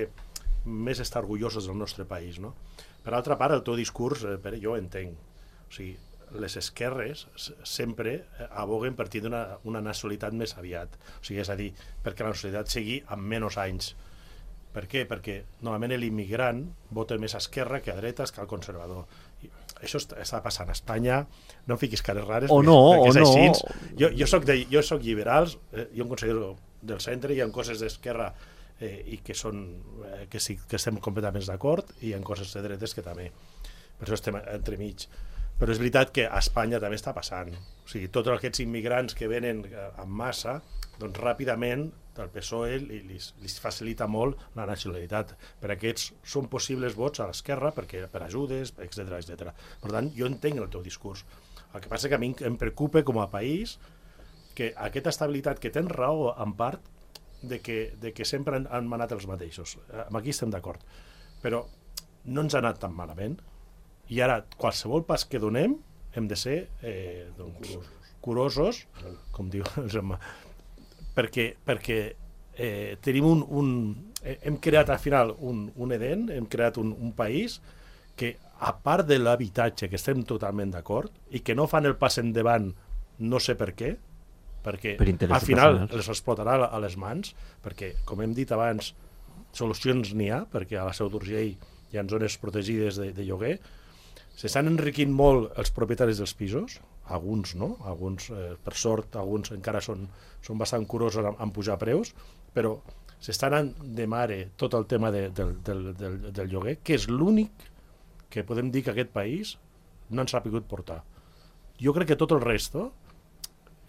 més estar orgullosos del nostre país. No? Per altra part, el teu discurs, eh, Pere, jo entenc. O sigui, les esquerres sempre aboguen per tindre una, una nacionalitat més aviat. O sigui, és a dir, perquè la nacionalitat sigui amb menys anys. Per què? Perquè normalment l'immigrant vota més a esquerra que a dretes que al conservador. I això està, està passant a Espanya. No em fiquis cares rares. O no, perquè és o així. no. Jo, jo, soc de, jo soc liberals, eh, jo em considero del centre, hi ha coses d'esquerra eh, i que, són, eh, que, sí, que estem completament d'acord, i hi ha coses de dretes que també. Per això estem entremig. Però és veritat que a Espanya també està passant. O sigui, tots aquests immigrants que venen en massa, doncs ràpidament el P S O E li, li, li facilita molt la nacionalitat. Per aquests són possibles vots a l'esquerra, perquè per ajudes, etcètera, etcètera. Per tant, jo entenc el teu discurs. El que passa que a mi em preocupa com a país que aquesta estabilitat, que tens raó en part, de que, de que sempre han, han manat els mateixos. Aquí estem d'acord. Però no ens ha anat tan malament. I ara, qualsevol pas que donem, hem de ser eh, doncs, curosos, com diu el germà, perquè, perquè eh, tenim un, un... hem creat al final un, un Eden, hem creat un, un país que, a part de l'habitatge, que estem totalment d'acord, i que no fan el pas endavant, no sé per què, perquè per al final personals. Els explotarà a les mans, perquè, com hem dit abans, solucions n'hi ha, perquè a la Seu d'Urgell hi ha zones protegides de, de lloguer. S'estan enriquint molt els propietaris dels pisos, alguns no, alguns eh, per sort, alguns encara són, són bastant curosos en, en pujar preus, però s'estan anant de mare tot el tema de, del, del, del, del lloguer, que és l'únic que podem dir que aquest país no ens ha pogut portar. Jo crec que tot el resto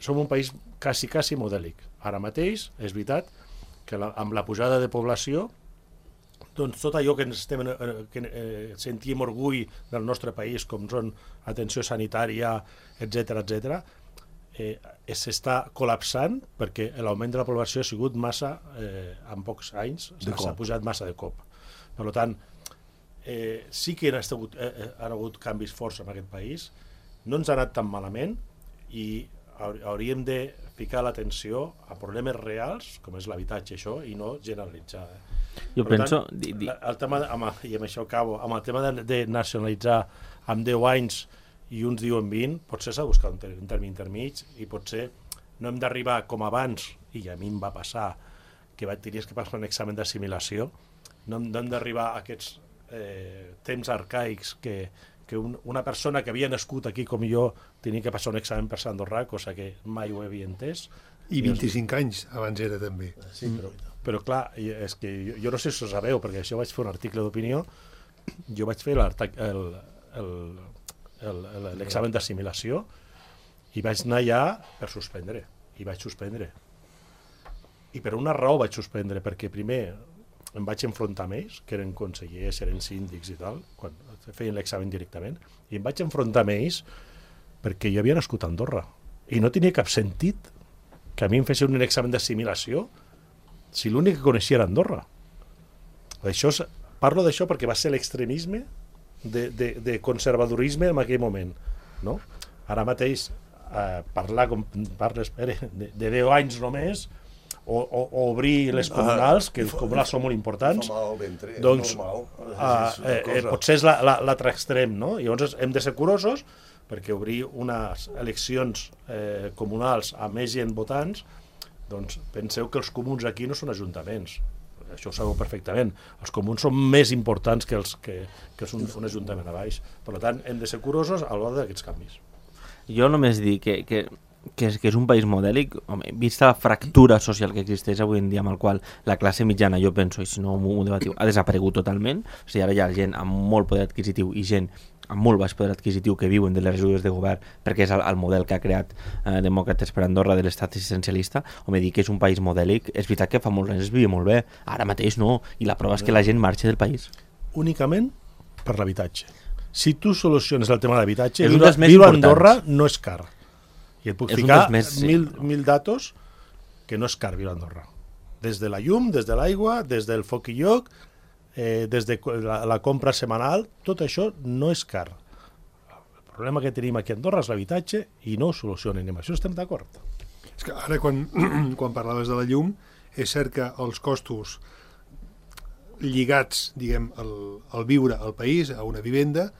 som un país quasi, quasi modèlic. Ara mateix, és veritat, que la, amb la pujada de població, doncs tot allò que, ens estem, que eh, sentim orgull del nostre país, com són atenció sanitària, etcètera, etcètera, eh, s'està col·lapsant perquè l'augment de la població ha sigut massa, eh, en pocs anys, s'ha pujat massa de cop. Per tant, eh, sí que han, estat, eh, han hagut canvis forts en aquest país, no ens ha anat tan malament i hauríem de ficar l'atenció a problemes reals, com és l'habitatge, això, i no generalitzar. Eh? Jo Per penso... tant, di, di... el tema, de, home, i amb això acabo, amb el tema de, de nacionalitzar amb deu anys i uns diuen vint, potser s'ha de buscar un, ter un terme intermig i potser no hem d'arribar com abans, i a mi em va passar, que vaig tenir que passar un examen d'assimilació, no hem, no hem d'arribar a aquests eh, temps arcaics que, que un, una persona que havia nascut aquí com jo tenia que passar un examen per ser andorrà, cosa que mai ho havia entès. I vint-i-cinc anys abans era també. Sí, però... Però clar, és que jo, jo no sé si ho sabeu, perquè això vaig fer un article d'opinió, jo vaig fer l'examen d'assimilació i vaig anar allà per suspendre, i vaig suspendre. I per una raó vaig suspendre, perquè primer em vaig enfrontar amb ells, que eren consellers, eren síndics i tal, quan feien l'examen directament, i em vaig enfrontar amb ells perquè jo havia nascut a Andorra, i no tenia cap sentit que a mi em fessin un examen d'assimilació si l'únic que coneixia era Andorra. Això és, parlo d'això perquè va ser l'extremisme de, de, de conservadorisme en aquell moment. No? Ara mateix, eh, parlar com parles Pere, de, de deu anys només, o, o, o obrir les comunals, que les comunals són molt importants, fa mal al ventre, doncs normal. Eh, eh, potser és l'altre extrem, no? Llavors hem de ser curosos perquè obrir unes eleccions eh, comunals amb més gent votants, doncs penseu que els comuns aquí no són ajuntaments, això ho sabeu perfectament, els comuns són més importants que, els, que, que és un, un ajuntament a baix, per tant hem de ser curosos a l'hora d'aquests canvis. Jo només dic que, que, que, és, que és un país modèlic, home, vista la fractura social que existeix avui en dia amb el qual la classe mitjana, jo penso, i si no m'ho debatiu, ha desaparegut totalment, o sigui, ara hi ha gent amb molt poder adquisitiu i gent amb molt baix poder adquisitiu que viuen de les ajudes de govern perquè és el, el model que ha creat eh, Demòcrates per Andorra de l'estat assistencialista. Home, dir que és un país modèlic, és veritat que fa molts anys es vivia molt bé, ara mateix no, i la prova és que la gent marxa del país. Únicament per l'habitatge. Si tu soluciones el tema de l'habitatge, viure, viure a Andorra no és car. I et puc és ficar més, sí. mil, mil datos que no és car viure a Andorra. Des de la llum, des de l'aigua, des del foc i lloc, eh, des de la, la compra setmanal, tot això no és car. El problema que tenim aquí a Andorra és l'habitatge i no ho solucionen, i amb això estem d'acord. És que ara quan, quan parlaves de la llum, és cert que els costos lligats, diguem, al, al viure al país, a una vivenda,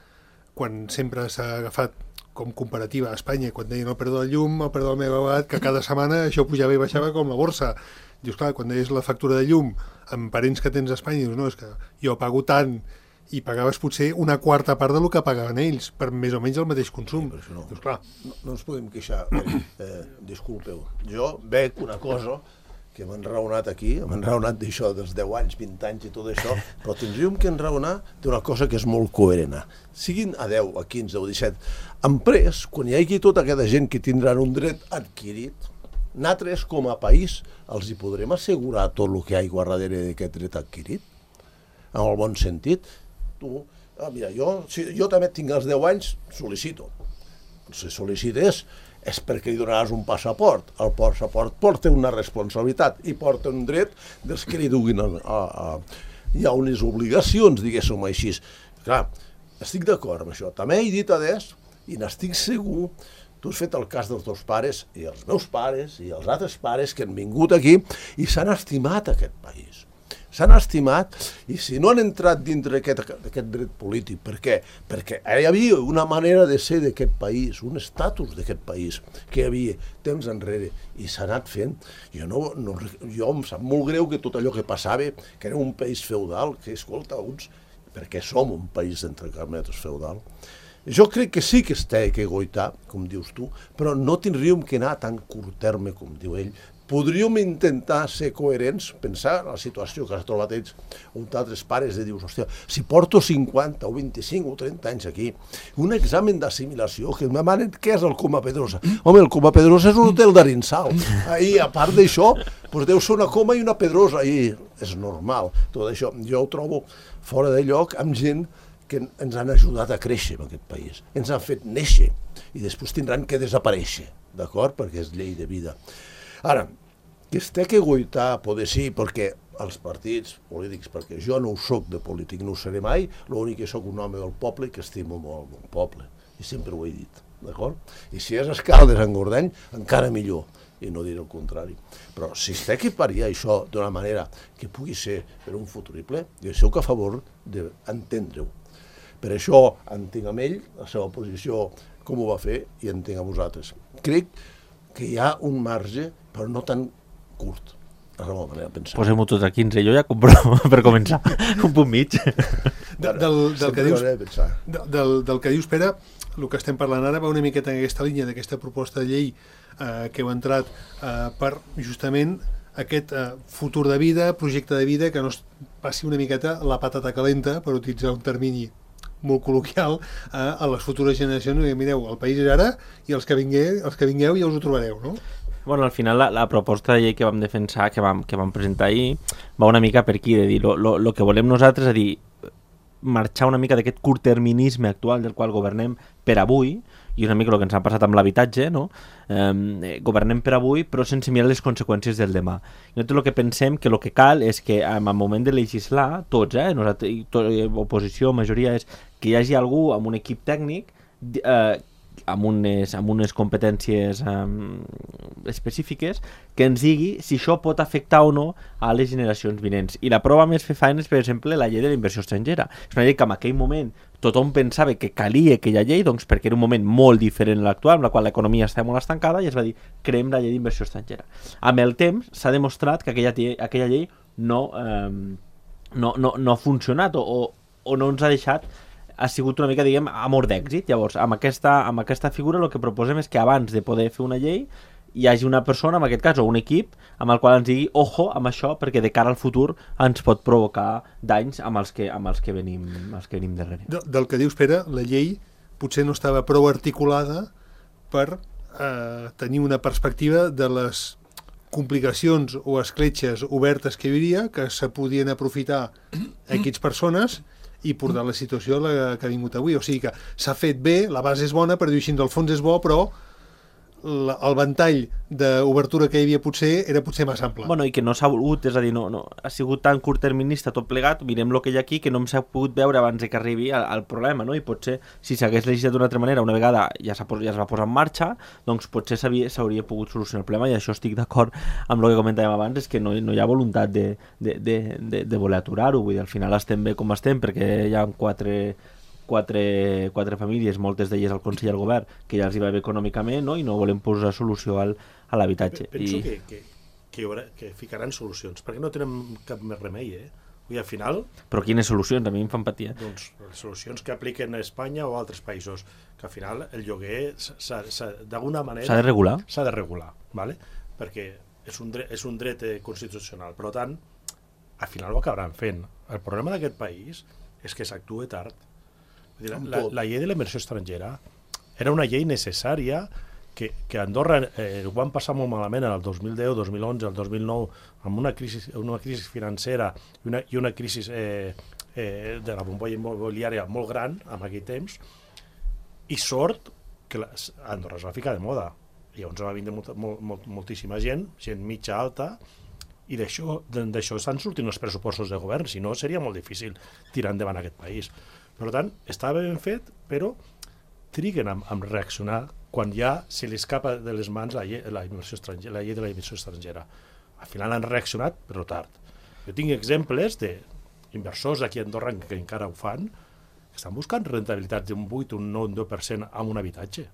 quan sempre s'ha agafat com comparativa a Espanya, quan deien el preu de la llum, el preu del megawatt, que cada setmana això pujava i baixava com la borsa. Dius, clar, quan deies la factura de llum amb parents que tens a Espanya, dius, no, és que jo pago tant, i pagaves potser una quarta part del que pagaven ells, per més o menys el mateix consum. Sí, no, dius, clar. No, no ens podem queixar. Eh, disculpeu, jo veig una cosa que m'han raonat aquí, m'han raonat d'això dels deu anys, vint anys i tot això, però tindríem que enraonar d'una cosa que és molt coherent. Siguin a deu, a quinze o disset, han pres, quan hi hagi tota aquesta gent que tindran un dret adquirit, nosaltres, com a país, els hi podrem assegurar tot el que hi ha darrere d'aquest dret adquirit? En el bon sentit? Tu, ah, mira, jo, si jo també tinc els deu anys, sol·licito. Si sol·licites és perquè li donaràs un passaport. El passaport porta una responsabilitat i porta un dret dels que li duguin a, a, a... Hi ha unes obligacions, diguéssim així. Clar, estic d'acord amb això. També he dit adés, i n'estic segur, tu has fet el cas dels teus pares i els meus pares i els altres pares que han vingut aquí i s'han estimat aquest país. S'han estimat i si no han entrat dintre d'aquest dret polític, per què? Perquè hi havia una manera de ser d'aquest país, un estatus d'aquest país que hi havia temps enrere i s'ha anat fent. Jo, no, no, jo em sap molt greu que tot allò que passava, que era un país feudal, que escolta, uns, perquè som un país d'entre carmetres feudal. Jo crec que sí que es té que goitar, com dius tu, però no tindríem que anar a tan curt terme, com diu ell. Podríem intentar ser coherents, pensar en la situació que has trobat ells, uns altres pares, de dius, hòstia, si porto cinquanta o vint-i-cinc o trenta anys aquí, un examen d'assimilació, que em demanen què és el Coma Pedrosa. Home, el Coma Pedrosa és un hotel d'Arinsal. I a part d'això, doncs deu ser una coma i una pedrosa, i és normal. Tot això jo ho trobo fora de lloc amb gent que ens han ajudat a créixer en aquest país, ens han fet néixer i després tindran que desaparèixer, d'acord? Perquè és llei de vida. Ara, que es té que goitar, poder sí, perquè els partits polítics, perquè jo no ho soc de polític, no ho seré mai, l'únic que soc un home del poble que estimo molt el poble, i sempre ho he dit, d'acord? I si és Escaldes, en Gordany, encara millor. i no diré el contrari. Però si s'equiparia això d'una manera que pugui ser per un futurible, jo soc a favor d'entendre-ho. Per això entenc amb ell la seva posició, com ho va fer, i entenc a vosaltres. Crec que hi ha un marge, però no tan curt. És la meva manera de pensar. Posem-ho tot a quinze, jo ja compro per començar un punt mig. De, del, del, que dius, de, del, del que dius, Pere, el que estem parlant ara va una miqueta en aquesta línia d'aquesta proposta de llei eh, que heu entrat eh, per justament aquest eh, futur de vida, projecte de vida, que no es passi una miqueta la patata calenta, per utilitzar un termini molt col·loquial, eh, a les futures generacions. I mireu, el país és ara i els que, vingueu, els que vingueu ja us ho trobareu, no? Bueno, al final la, la proposta de llei que vam defensar, que vam, que vam presentar ahir, va una mica per aquí, de dir, lo, lo, lo que volem nosaltres és dir, marxar una mica d'aquest curtterminisme actual del qual governem per avui, i una mica el que ens ha passat amb l'habitatge, no? Eh, governem per avui però sense mirar les conseqüències del demà. I nosaltres el que pensem que el que cal és que en el moment de legislar, tots, eh, nosaltres, tot, oposició, majoria, és que hi hagi algú amb un equip tècnic eh, amb unes, amb unes competències um, específiques que ens digui si això pot afectar o no a les generacions vinents. I la prova més fefaent és, per exemple, la llei de la inversió estrangera. És una llei que en aquell moment tothom pensava que calia aquella llei, doncs perquè era un moment molt diferent a l'actual, amb la qual l'economia estava molt estancada, i es va dir, creem la llei d'inversió estrangera. Amb el temps s'ha demostrat que aquella, aquella llei no, um, no, no, no ha funcionat o, o no ens ha deixat, ha sigut una mica, diguem, amor d'èxit. Llavors, amb aquesta, amb aquesta figura el que proposem és que abans de poder fer una llei hi hagi una persona, en aquest cas, o un equip, amb el qual ens digui, ojo amb això, perquè de cara al futur ens pot provocar danys amb els que, amb els que, venim, els que venim darrere. De, del que dius, Pere, la llei potser no estava prou articulada per eh, tenir una perspectiva de les complicacions o escletxes obertes que hi hauria, que se podien aprofitar aquestes persones i portar la situació a la que ha vingut avui. O sigui que s'ha fet bé, la base és bona, per dir així, el fons és bo, però la, el ventall d'obertura que hi havia potser era potser massa ample. Bueno, i que no s'ha volgut, és a dir, no, no, ha sigut tan curtterminista tot plegat, mirem el que hi ha aquí, que no hem s'ha pogut veure abans que arribi al, al problema, no? I potser, si s'hagués legislat d'una altra manera, una vegada ja, ja es va posar en marxa, doncs potser s'hauria pogut solucionar el problema, i això estic d'acord amb el que comentàvem abans, és que no, no hi ha voluntat de, de, de, de, de voler aturar-ho, vull dir, al final estem bé com estem, perquè hi ha quatre... Quatre, quatre famílies, moltes d'elles al Consell i al Govern, que ja els hi va bé econòmicament, no? I no volem posar solució al, a l'habitatge. Penso I... que, que, que, haurà, que ficaran solucions, perquè no tenen cap més remei, eh? I al final... Però quines solucions? A mi em fan patia. Doncs les solucions que apliquen a Espanya o a altres països, que al final el lloguer d'alguna manera... S'ha de regular? S'ha de regular, ¿vale? Perquè és un dret, és un dret constitucional, per tant, al final ho acabaran fent. El problema d'aquest país és que s'actua tard. La, la, la llei de la inversió estrangera era una llei necessària que, que Andorra eh, ho van passar molt malament el dos mil deu, dos mil onze, el dos mil nou, amb una crisi, una crisi financera i una, i una crisi eh, eh, de la bombolla immobiliària molt gran en aquell temps, i sort que la, Andorra es va ficar de moda. I llavors va vindre molt, molt, molt, moltíssima gent, gent mitja alta, i d'això estan sortint els pressupostos de govern, si no seria molt difícil tirar endavant aquest país. Per tant, estava ben fet, però triguen a, a reaccionar quan ja se li escapa de les mans la llei, la, la llei de la inversió estrangera. Al final han reaccionat, però tard. Jo tinc exemples d'inversors aquí a Andorra que encara ho fan, que estan buscant rentabilitats d'un vuit, un nou, un deu per cent amb un habitatge.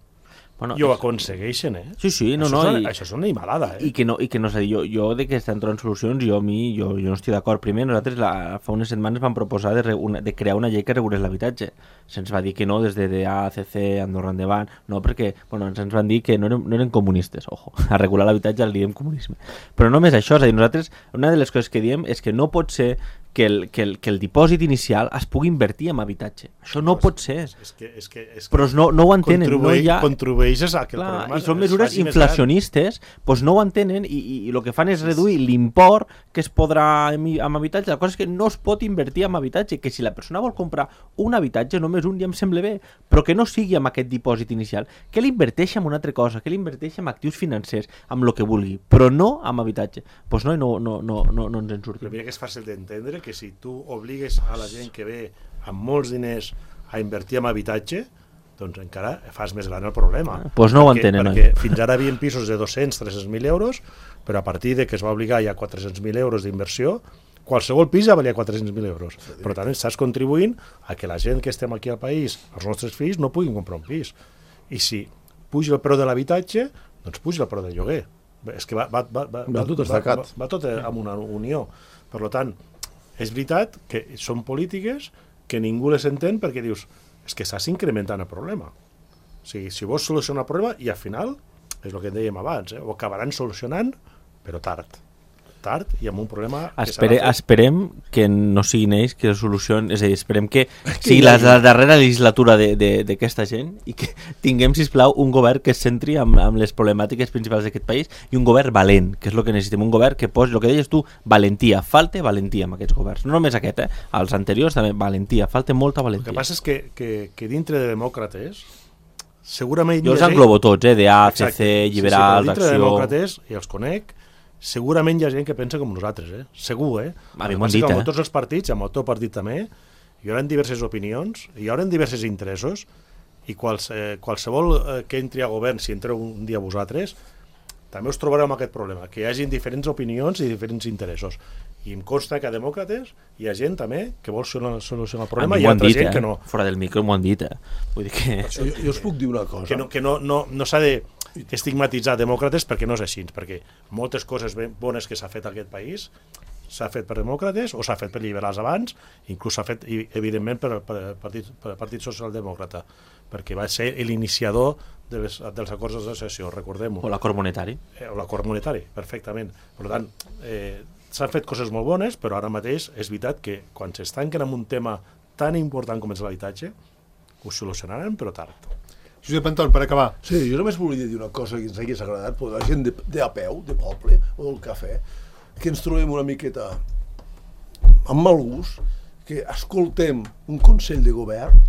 Bueno, i ho aconsegueixen, eh? Sí, sí, no, això no. És una, I, això és una animalada, eh? I que no, i que no sé, jo, jo de que estan trobant solucions, jo a mi, jo, jo no estic d'acord. Primer, nosaltres la, fa unes setmanes vam proposar de, re, una, de crear una llei que regulés l'habitatge. Se'ns va dir que no, des de A C C, Andorra Endavant, no, perquè, bueno, ens van dir que no eren, no eren comunistes, ojo, a regular l'habitatge li diem comunisme. Però no només això, és a dir, nosaltres, una de les coses que diem és que no pot ser que el, que, el, que el dipòsit inicial es pugui invertir en habitatge. Això no, no pot ser. És que, és que, és que però no, no ho entenen. No hi ha... Contribueixes a que el Clar, problema... I són mesures inflacionistes, doncs no ho entenen i, i, i el que fan és reduir l'import que es podrà amb habitatge. La cosa és que no es pot invertir en habitatge, que si la persona vol comprar un habitatge, només un ja em sembla bé, però que no sigui amb aquest dipòsit inicial, que l'inverteixi en una altra cosa, que l'inverteixi en actius financers, amb el que vulgui, però no amb habitatge. Doncs no, no, no, no, no, no ens en sortim. Però mira que és fàcil d'entendre que si tu obligues a la gent que ve amb molts diners a invertir en habitatge, doncs encara fas més gran el problema. Doncs pues no ho perquè, entenen, perquè oi? fins ara havien pisos de dos-cents a tres-cents mil euros, però a partir de que es va obligar ja quatre-cents mil euros d'inversió, qualsevol pis ja valia quatre-cents mil euros. Per tant, estàs contribuint a que la gent que estem aquí al país, els nostres fills, no puguin comprar un pis. I si puja el preu de l'habitatge, doncs puja el preu del lloguer. És que va, va, va, va, va tot estacat. Va, va tot amb una unió. Per tant, és veritat que són polítiques que ningú les entén perquè dius, és que estàs incrementant el problema. O sigui, si vols solucionar el problema, i al final, és el que dèiem abans, eh, ho acabaran solucionant, però tard. Tard i amb un problema... Espere, que esperem que no siguin ells que solucionen, és a dir, esperem que sigui la, la darrera legislatura d'aquesta gent i que tinguem, sisplau, un govern que es centri amb, amb les problemàtiques principals d'aquest país i un govern valent, que és el que necessitem, un govern que posi, el que deies tu, valentia, falta valentia amb aquests governs, no només aquest, eh? Els anteriors també, valentia, falta molta valentia. El que passa és que, que, que dintre de demòcrates, segurament... Jo els englobo tots, eh? De A, C C, liberals, sí, sí, dintre acció... de demòcrates, i els conec, segurament hi ha gent que pensa com nosaltres, eh? Segur, eh? A mi m'ho han dit, amb eh? tots els partits, amb el teu partit també, hi haurà diverses opinions, hi haurà diversos interessos, i quals, eh, qualsevol eh, que entri a govern, si entreu un dia vosaltres, també us trobareu amb aquest problema, que hi hagi diferents opinions i diferents interessos. I em consta que a demòcrates hi ha gent també que vol solucionar el problema i hi ha altra dit, gent eh? que no. Fora del micro m'ho han dit, eh? Vull dir que... Jo, jo us puc dir una cosa. Que no, que no, no, no s'ha de estigmatitzar demòcrates perquè no és així, perquè moltes coses ben bones que s'ha fet a aquest país s'ha fet per demòcrates o s'ha fet per liberals abans, inclús s'ha fet evidentment per, per, partit, per Partit Socialdemòcrata, perquè va ser l'iniciador de les, dels acords d'associació, recordem-ho. O l'acord monetari. Eh, o l'acord monetari, perfectament. Per tant, eh, s'han fet coses molt bones, però ara mateix és veritat que quan s'estanquen en un tema tan important com és l'habitatge, ho solucionaran, però tard. Josep Anton, per acabar. Sí, jo només volia dir una cosa que ens hagués agradat, però la gent de, de a peu, de poble, o del cafè, que ens trobem una miqueta amb mal gust, que escoltem un Consell de Govern,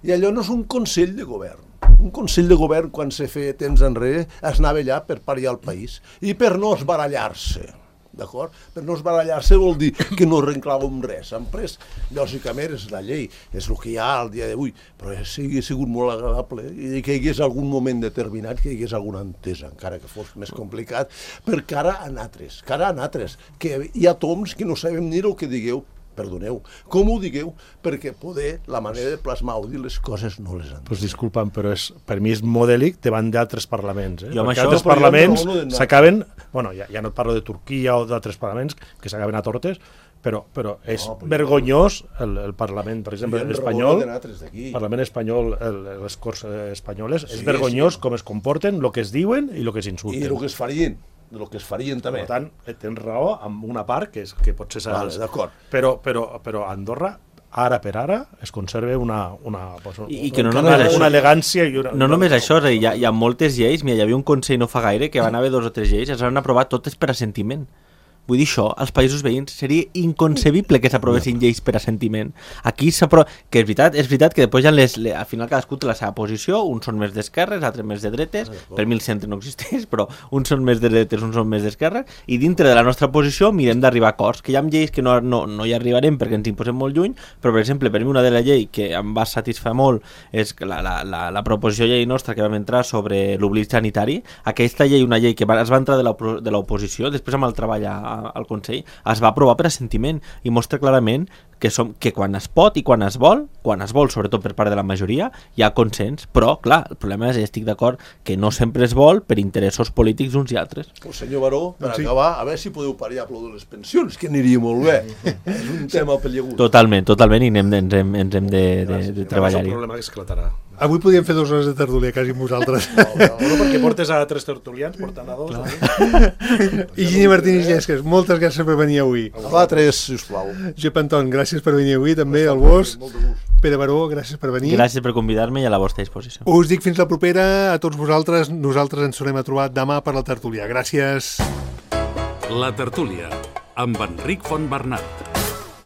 i allò no és un Consell de Govern. Un Consell de Govern, quan se feia temps enrere, es anava allà per pariar el país, i per no esbarallar-se. D'acord? Per no esbarallar-se vol dir que no arrenclàvem res. En pres, lògicament, és la llei, és el que hi ha al dia d'avui, però sigui sigut molt agradable i que hi hagués algun moment determinat, que hi hagués alguna entesa, encara que fos més complicat, per cara a nosaltres, cara a nosaltres, que hi ha toms que no sabem ni el que digueu, perdoneu, com ho digueu, perquè poder, la manera de plasmar o dir les coses no les entenem. Pues disculpa'm, però és, per mi és modèlic davant d'altres parlaments. Eh? Jo amb Perquè això- altres No, però jo parlaments no parlo de- s'acaben... Bueno, ja, ja no et parlo de Turquia o d'altres parlaments que s'acaben a tortes, però, però és No, però vergonyós el, el Parlament, per exemple, Hi ha l'espanyol, raó de nosaltres d'aquí. el Parlament espanyol, el, les Corts eh, espanyoles, Sí, és vergonyós sí. com es comporten, el que es diuen i el que I s'insulten. el que es farien, el que es farien també. Per tant, eh, tens raó amb una part que, és, que potser serà... Vale, d'acord. Però, però, però a Andorra, ara per ara, es conserva una, una, pues, I, i que no una, només això, una elegància i una... no només això, és a dir, hi ha, hi ha moltes lleis, mira, hi havia un consell no fa gaire que van haver dos o tres lleis, es van aprovar totes per assentiment. Vull dir, això, als països veïns seria inconcebible que s'aprovessin lleis per assentiment. Aquí s'aprova... Que és veritat, és veritat que després ja les, les, al final cadascú té la seva posició, uns són més d'esquerres, altres més de dretes, per mi el centre no existeix, però uns són més de dretes, uns són més d'esquerres, i dintre de la nostra posició mirem d'arribar a acords, que hi ha lleis que no, no, no hi arribarem perquè ens imposem molt lluny, però per exemple, per mi una de la llei que em va satisfer molt és la, la, la, la proposició de llei nostra que vam entrar sobre l'oblit sanitari, aquesta llei, una llei que va, es va entrar de l'oposició, després amb el treball a, al Consell, es va aprovar per assentiment i mostra clarament que, som, que quan es pot i quan es vol, quan es vol, sobretot per part de la majoria, hi ha consens, però, clar, el problema és que estic d'acord que no sempre es vol per interessos polítics uns i altres. El senyor Baró, per Sí. acabar, a veure si podeu pariar de les pensions, que aniria molt bé. És un tema pellegut. Totalment, totalment, i anem, ens hem, ens hem de, de, de És un treballar-hi. problema que esclatarà. Avui podíem fer dues hores de tertúlia, quasi amb vosaltres. No, no, No, perquè portes a tres tertulians, portant a dos. I Gini Martínez Llesques, moltes gràcies per venir avui. Va, tres, sisplau. Josep Anton, gràcies per venir avui, també, al Bos. Molt de gust. Pere Baró, gràcies per venir. Gràcies per convidar-me i a la vostra disposició. Us dic fins la propera a tots vosaltres. Nosaltres ens tornem a trobar demà per la tertúlia. Gràcies. La tertúlia, amb Enric Fontbernat.